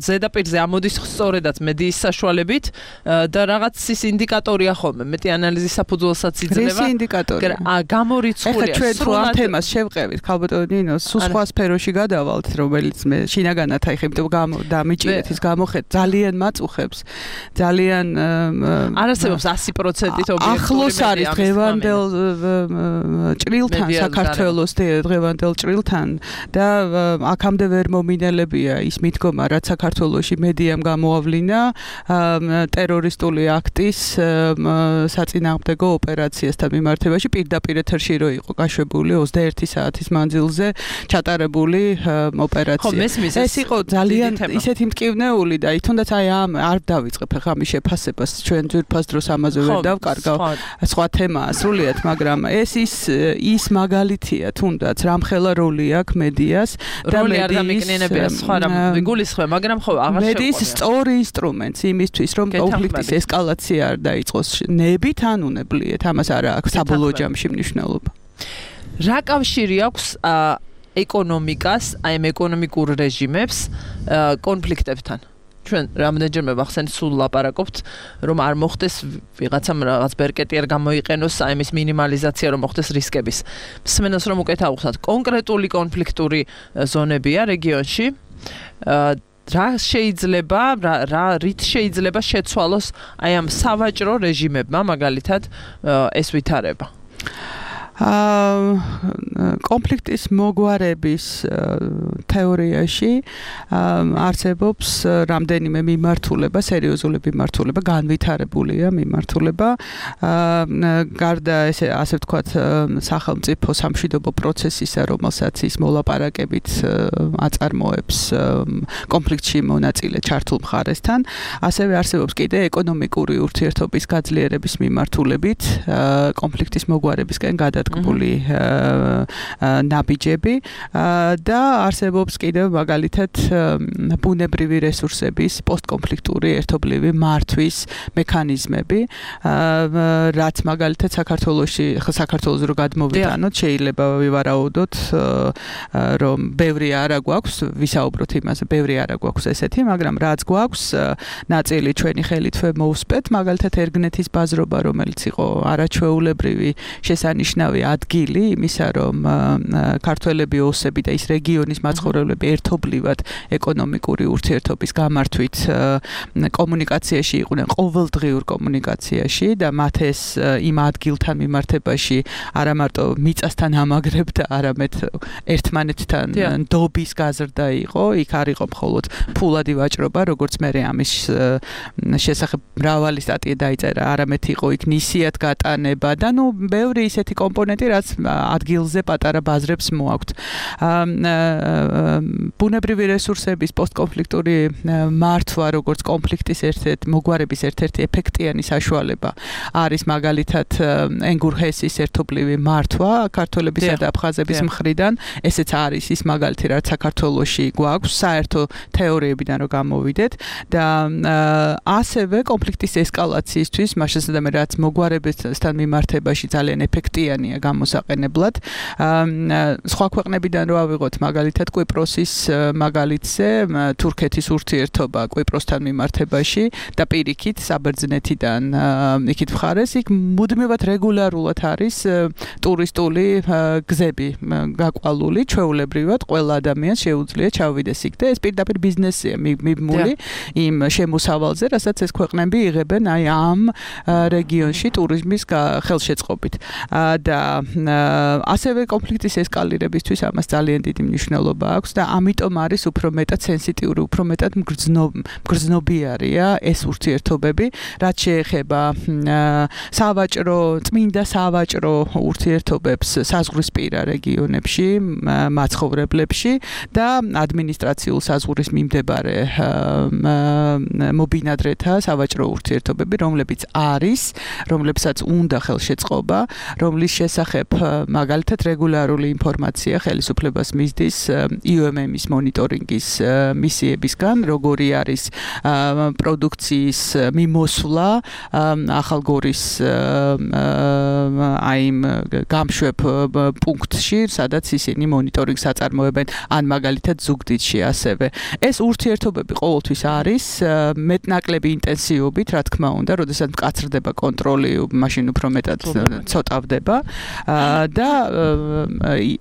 ზედაპირზე ამოდის სწორედაც მედიის საშუალებით და რაღაც ის ინდიკატორია ხოლმე მეტი ანალიზის საფუძველსაც იძლევა ეს ინდიკატორია გამორიცხულია თუ ამ თემას შევყევით, ქალბატონინო, სულ სხვა სფეროში გადავალთ, რომელიც მე შინაგანად აი ხემტო დამიჭირეთ ის გამოხეთ, ძალიან მაწუხებს. ძალიან არასებობს 100%-ით ობიექტური ახლოს არის დღევანდელ ჭრილთან საქართველოს დღევანდელ ჭრილთან და აქამდე ვერ მომინელებია ის მიდგომა, რაც საქართველოში მედიამ გამოავლინა ტერორისტული აქტის საწინააღმდეგო ოპერაციასთან მიმართებაში პირდაპირ ეთერში რო იყო გაშვებული 21 საათის მანძილზე ჩატარებული ოპერაცია. ეს იყო ძალიან ისეთი მტკივნეული და თუნდაც აი ამ არ დავიწყებ ახლა ამის შეფასებას ჩვენ ძვირფას დროს ამაზე ვერ დავკარგავ სხვა თემაა სრულიად, მაგრამ ეს ის მაგალითია თუნდაც რამხელა როლი აქვს მედიას და მედიის სხვა რამ ვიგულისხმე, მაგრამ ხო აღარ შევყვება. მედიის სწორი ინსტრუმენტი იმისთვის რომ კონფლიქტის ესკალაცია არ დაიწყოს ნებით ან უნებლიეთ, ამას არ აქვს საბოლოო ჯამში მნიშვნელობა. რა კავშირი აქვს ეკონომიკას, აი ამ ეკონომიკურ რეჟიმებს კონფლიქტებთან? ჩვენ რამდენჯერმე ახსენეთ სულ ლაპარაკობთ, რომ არ მოხდეს ვიღაცამ რაღაც ბერკეტი არ გამოიყენოს აი ამის მინიმალიზაცია, რომ მოხდეს რისკების. მსმენელს რომ უკეთ ავხსნათ, კონკრეტული კონფლიქტური ზონებია რეგიონში. რა შეიძლება რით შეიძლება შეცვალოს აი ამ სავაჭრო რეჟიმებმა მაგალითად ეს ვითარება? კონფლიქტის მოგვარების თეორიაში არსებობს რამდენიმე მიმართულება, სერიოზული მიმართულება, განვითარებულია მიმართულება. გარდა ასე ვთქვათ, სახელმწიფო სამშვიდობო პროცესისა, რომელსაც ის მოლაპარაკებით აწარმოებს კონფლიქტში მონაწილე ჩართულ მხარესთან, ასევე არსებობს კიდე ეკონომიკური ურთიერთობის გაძლიერების მიმართულებით კონფლიქტის მოგვარებისკენ გადასვლა მისადგმული ნაბიჯები და არსებობს კიდევ მაგალითად ბუნებრივი რესურსების პოსტკონფლიქტური ერთობლივი მართვის მექანიზმები, რაც მაგალითად საქართველოს რო გადმოვიტანოთ, შეიძლება ვივარაუდოთ, რომ ბევრი არა გვაქვს, ვისაუბროთ იმაზე, ბევრი არა გვაქვს ესეთი, მაგრამ რაც გვაქვს, ნაწილი ჩვენი ხელით მოусპეთ, მაგალითად ერგნეთის ბაზრობა, რომელიც იყო არაჩვეულებრივი შესანიშნავი ადგილი იმისა, რომ ქართველები, ოსები და ის რეგიონის მაცხოვრებლები ერთობლივად ეკონომიკური ურთიერთობის გამართვით კომუნიკაციაში იყვნენ, ყოველდღიურ კომუნიკაციაში და მათ ეს იმ ადგილთან მიმართებაში არა მარტო მიწასთან ამაგრებდა, არამედ ერთმანეთთან ნდობის გაზრდა იყო, იქ არ იყო მხოლოდ ფულადი ვაჭრობა, როგორც მე ამის შესახებ მრავალი სტატია დაიწერა, არამედ იყო იქ ნისიად გატანება და ბევრი ისეთი კომპონენტი, რაც ადგილზე პატარა ბაზრებს მოაქვთ. ბუნებრივი რესურსების პოსტკონფლიქტური მართვა, როგორც კონფლიქტის მოგვარების ერთ-ერთი ეფექტიანი საშუალება არის მაგალითად ენგურჰესის ერთობლივი მართვა ქართველებისა და აფხაზების მხრიდან, ესეც არის ის მაგალითი, რაც საქართველოში გვაქვს, საერთო თეორიებიდან რო გამოვიდეთ და ასევე კონფლიქტის ესკალაციისთვის, მასშტაბებად რაც მოგვარებებთან მიმართებაში ძალიან ეფექტიანია გამოსაყენებლად. სხვა ქვეყნებიდან რო ავიღოთ მაგალითად კვიპროსის მაგალითზე, თურქეთის ურთიერთობა კვიპროსთან მიმართებაში და პირიქით საბერძნეთიდან იქით მხარეს, იქ მუდმივად რეგულარულად არის ტურისტული გზები გაკვალული, ჩვეულებრივად ყველა ადამიანს შეუძლია ჩავიდეს იქ და ეს პირდაპირ ბიზნესია მიბმული იმ შემოსავალზე, რასაც ეს ქვეყნები იღებენ აი ამ რეგიონში ტურიზმის ხელშეწყობით. და ასევე კონფლიქტის ესკალირებისთვის ამას ძალიან დიდი მნიშვნელობა აქვს და ამიტომ არის უფრო მეტად სენსიტიური, უფრო მეტად მგრძნობიარია ეს ურთიერთობები, რაც შეეხება წმინდა სავაჭრო ურთიერთობებს საზღვრისპირა რეგიონებში, მაცხოვრებლებში და ადმინისტრაციულ საზღვრის მიმდებარე მობინადრეთა სავაჭრო ურთიერთობები, რომლებსაც უნდა ხელშეწყობა, რომლის შესახებ მაგალითად რეგულარული ინფორმაცია ხელისუფლებას მისდის IOM-ის მონიტორინგის მისიებისგან, როგორი არის პროდუქციის მიმოსვლა ახალგორის აი გამშვებ პუნქტში, სადაც ისინი მონიტორინგს აწარმოებენ, ან მაგალითად ზუგდიდში ასევე. ეს ურთიერთობები ყოველთვის არის მეტნაკლები ინტენსივობით, რა თქმა უნდა, როდესაც მკაცრდება კონტროლი, მაშინ უფრო მეტად ცოტავდება და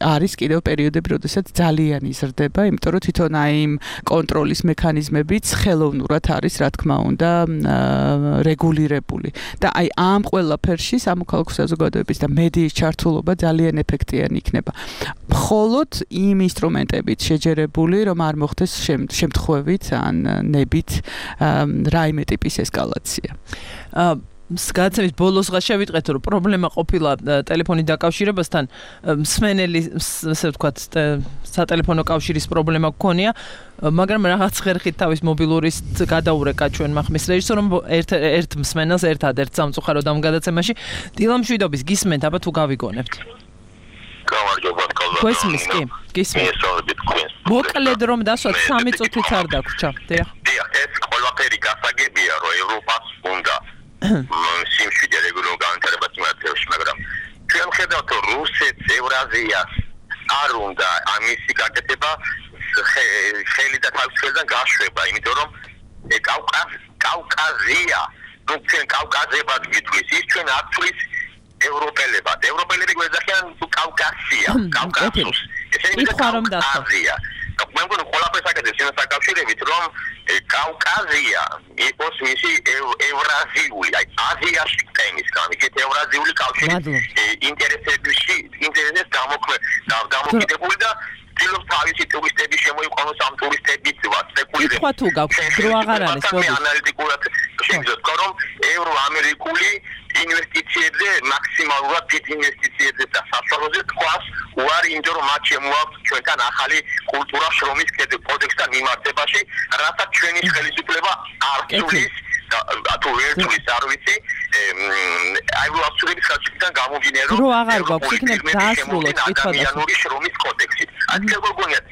არის კიდევ პერიოდები, როდესაც ძალიან იზრდება, იმიტომ რომ თვითონ აი იმ კონტროლის მექანიზმებიც ხელოვნურად არის, რა თქმა უნდა, რეგულირებული. და აი ამ ყველაფერში სამოქალაქო საზოგადოების და მედიის ჩართულობა ძალიან ეფექტიანი იქნება. მხოლოდ იმ ინსტრუმენტებით შეჯერებული, რომ არ მოხდეს შემთხვევით ან ნებით რაიმე ტიპის ესკალაცია. გადაცემის ბოლოსღა შევიტყეთ, რომ პრობლემა ყოფილა ტელეფონით დაკავშირებასთან, მსმენელი, ასე ვთქვათ, სატელეფონო კავშირის პრობლემა გქონია, მაგრამ რაღაც ხერხით თავის მობილურის გადაურეკა ჩვენმა ხმის რეჟისორმა ერთ მსმენელს ერთადერთ სამწუხაროდ ამ გადაცემაში. დილა მშვიდობის, გისმენთ, აბა თუ გავიგონებთ. გამარჯობა, გესმის კი? გისმენთ. მოკლედ რომ დასვათ 3 წუთიც არ დაგვრჩა. დიახ. ეს ყველაფერი გასაგებია, რომ ევროპას უნდა სიმშვიდე რეგულარულ განვითარებას მიმართებაში, მაგრამ ჩვენ ხედავთ, რომ რუსეთს, ევრაზიას არ უნდა ამისი გაკეთება ხელი და თავის ხელიდან გაშვება, იმიტომ რომ კავკაზია, ну ჩვენ კავკაზებად გითვლის, ის ჩვენ ათვლის ევროპელებად. ევროპელები გვეძახიან კავკასია, კავკასუს. ესენი კავკაზია. მე მგონი ყველაფერს აკეთებს იმას საკავშირებით, რომ კავკაზია იყოს მისი ევრაზიული, აი აზიაში ტემისგან, იქით ევრაზიული კავშირის ინტერესებს დამოკიდებული და ცდილობს თავისი ტურისტები შემოიყვანოს ამ ტურისტებით სპეკულირებს. ითქვა თუ გაქვს დრო აღარ არის, მე ანალიტიკურად შევძლებთ, რომ ევროამერიკული ინვესტიციებზე მაქსიმალურად დიდ ინვესტიციებზე და საშუალოზე თქواس უარი, იმიტომ რომ მათ შემოაქვთ ჩვენთან ახალი კულტურა შრომის კოდექსთან მიმართებაში, რასაც ჩვენი ხელისუფლება არ ცulis თუ ვერ თulis არ ვიცი აი ვასწრების ხალხიდან გამომდინარე რომ აღარ გვაქვს იქნებ დაასრულოთ კითხვა ადამიანური შრომის კოდექსით აქ გოგონიათ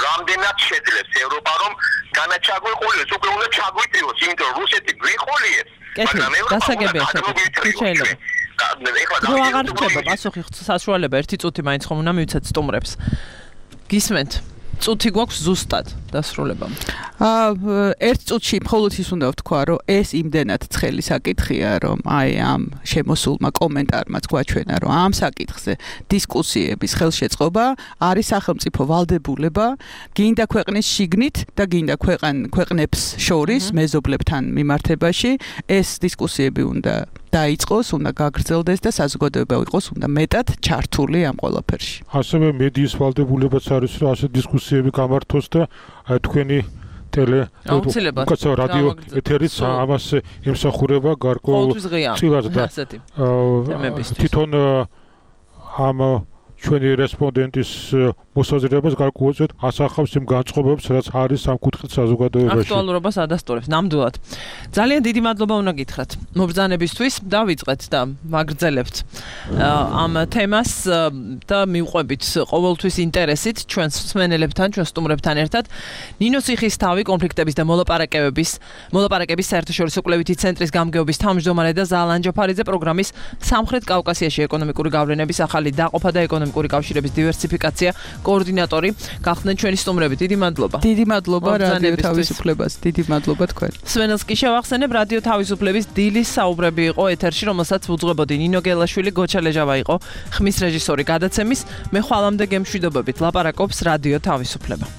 რამდენად შეძლებს ევროპა რომ განაჩაგვიყოლოს უკვე უნდა ჩაგვიწიოს იმიტომ რომ რუსეთი გვიყოლიებს მაგრამ დასაგებია შეიძლება რო აღარ ხდება პასუხი საშუალება ერთი წუთი მაინც ხომ უნდა მივცეთ სტუმრებს გისმენთ წუთი გვაქვს ზუსტად დასრულებამ. ერთ წუთში მხოლოდ ის უნდა ვთქვა, რომ ეს იმდენად ცხელი საკითხია, რომ აი ამ შემოსულმა კომენტარმაც გვაჩვენა, რომ ამ საკითხზე დისკუსიების ხელშეწყობა არის სახელმწიფო ვალდებულება, გინდა ქვეყნის შიგნით და გინდა ქვეყნებს შორის მეზობლებთან მიმართებაში, ეს დისკუსიები უნდა დაიწყოს, უნდა გაგრძელდეს და საზოგადოება იყოს უნდა მეტად ჩართული ამ ყველაფერში. ასევე მედიის ვალდებულებაც არის, რომ ასე დისკუსიები გამართოს და თქვენი რადიო ეთერიც ამას ემსახურება გარკვეულწილად და თვითონ ამ ჩვენი რესპონდენტის მოსაზრებას გარკვეულწილად ასახავს იმ განწყობებს, რაც არის ამ კუთხით საზოგადოებაში. აქტუალურობას ადასტურებს ნამდვილად. ძალიან დიდი მადლობა უნდა გითხრათ მობრძანებისთვის, დავიწყეთ და ვაგრძელებთ ამ თემას და მივყვებით ყოველთვის ინტერესით ჩვენს მსმენელებთან, ჩვენ სტუმრებთან ერთად. ნინო ციხისთავი კონფლიქტების და მოლაპარაკების საერთაშორისო კვლევითი ცენტრის გამგეობის თავმჯდომარე და ზალან ჯაფარიძე პროგრამის სამხრეთ კავკასიაში ეკონომიკური გავლენების ახალი დაყოფა და ეკონომიკური კავშირების დივერსიფიკაცია კოორდინატორი გახდნენ ჩვენი სტუმრები. დიდი მადლობა. დიდი მადლობა რადიო თავისუფლებას. დიდი მადლობა თქვენ. სვენელს კი შევახსენებ რადიო თავისუფლების დილის საუბრები იყო ეთერში, რომელსაც უძღვებოდი ნინო გელაშვილი, გოჩა ლეჟავა იყო ხმის რეჟისორი გადაცემის. მე ხვალამდე გემშვიდობებით ლაპარაკობს რადიო თავისუფლება.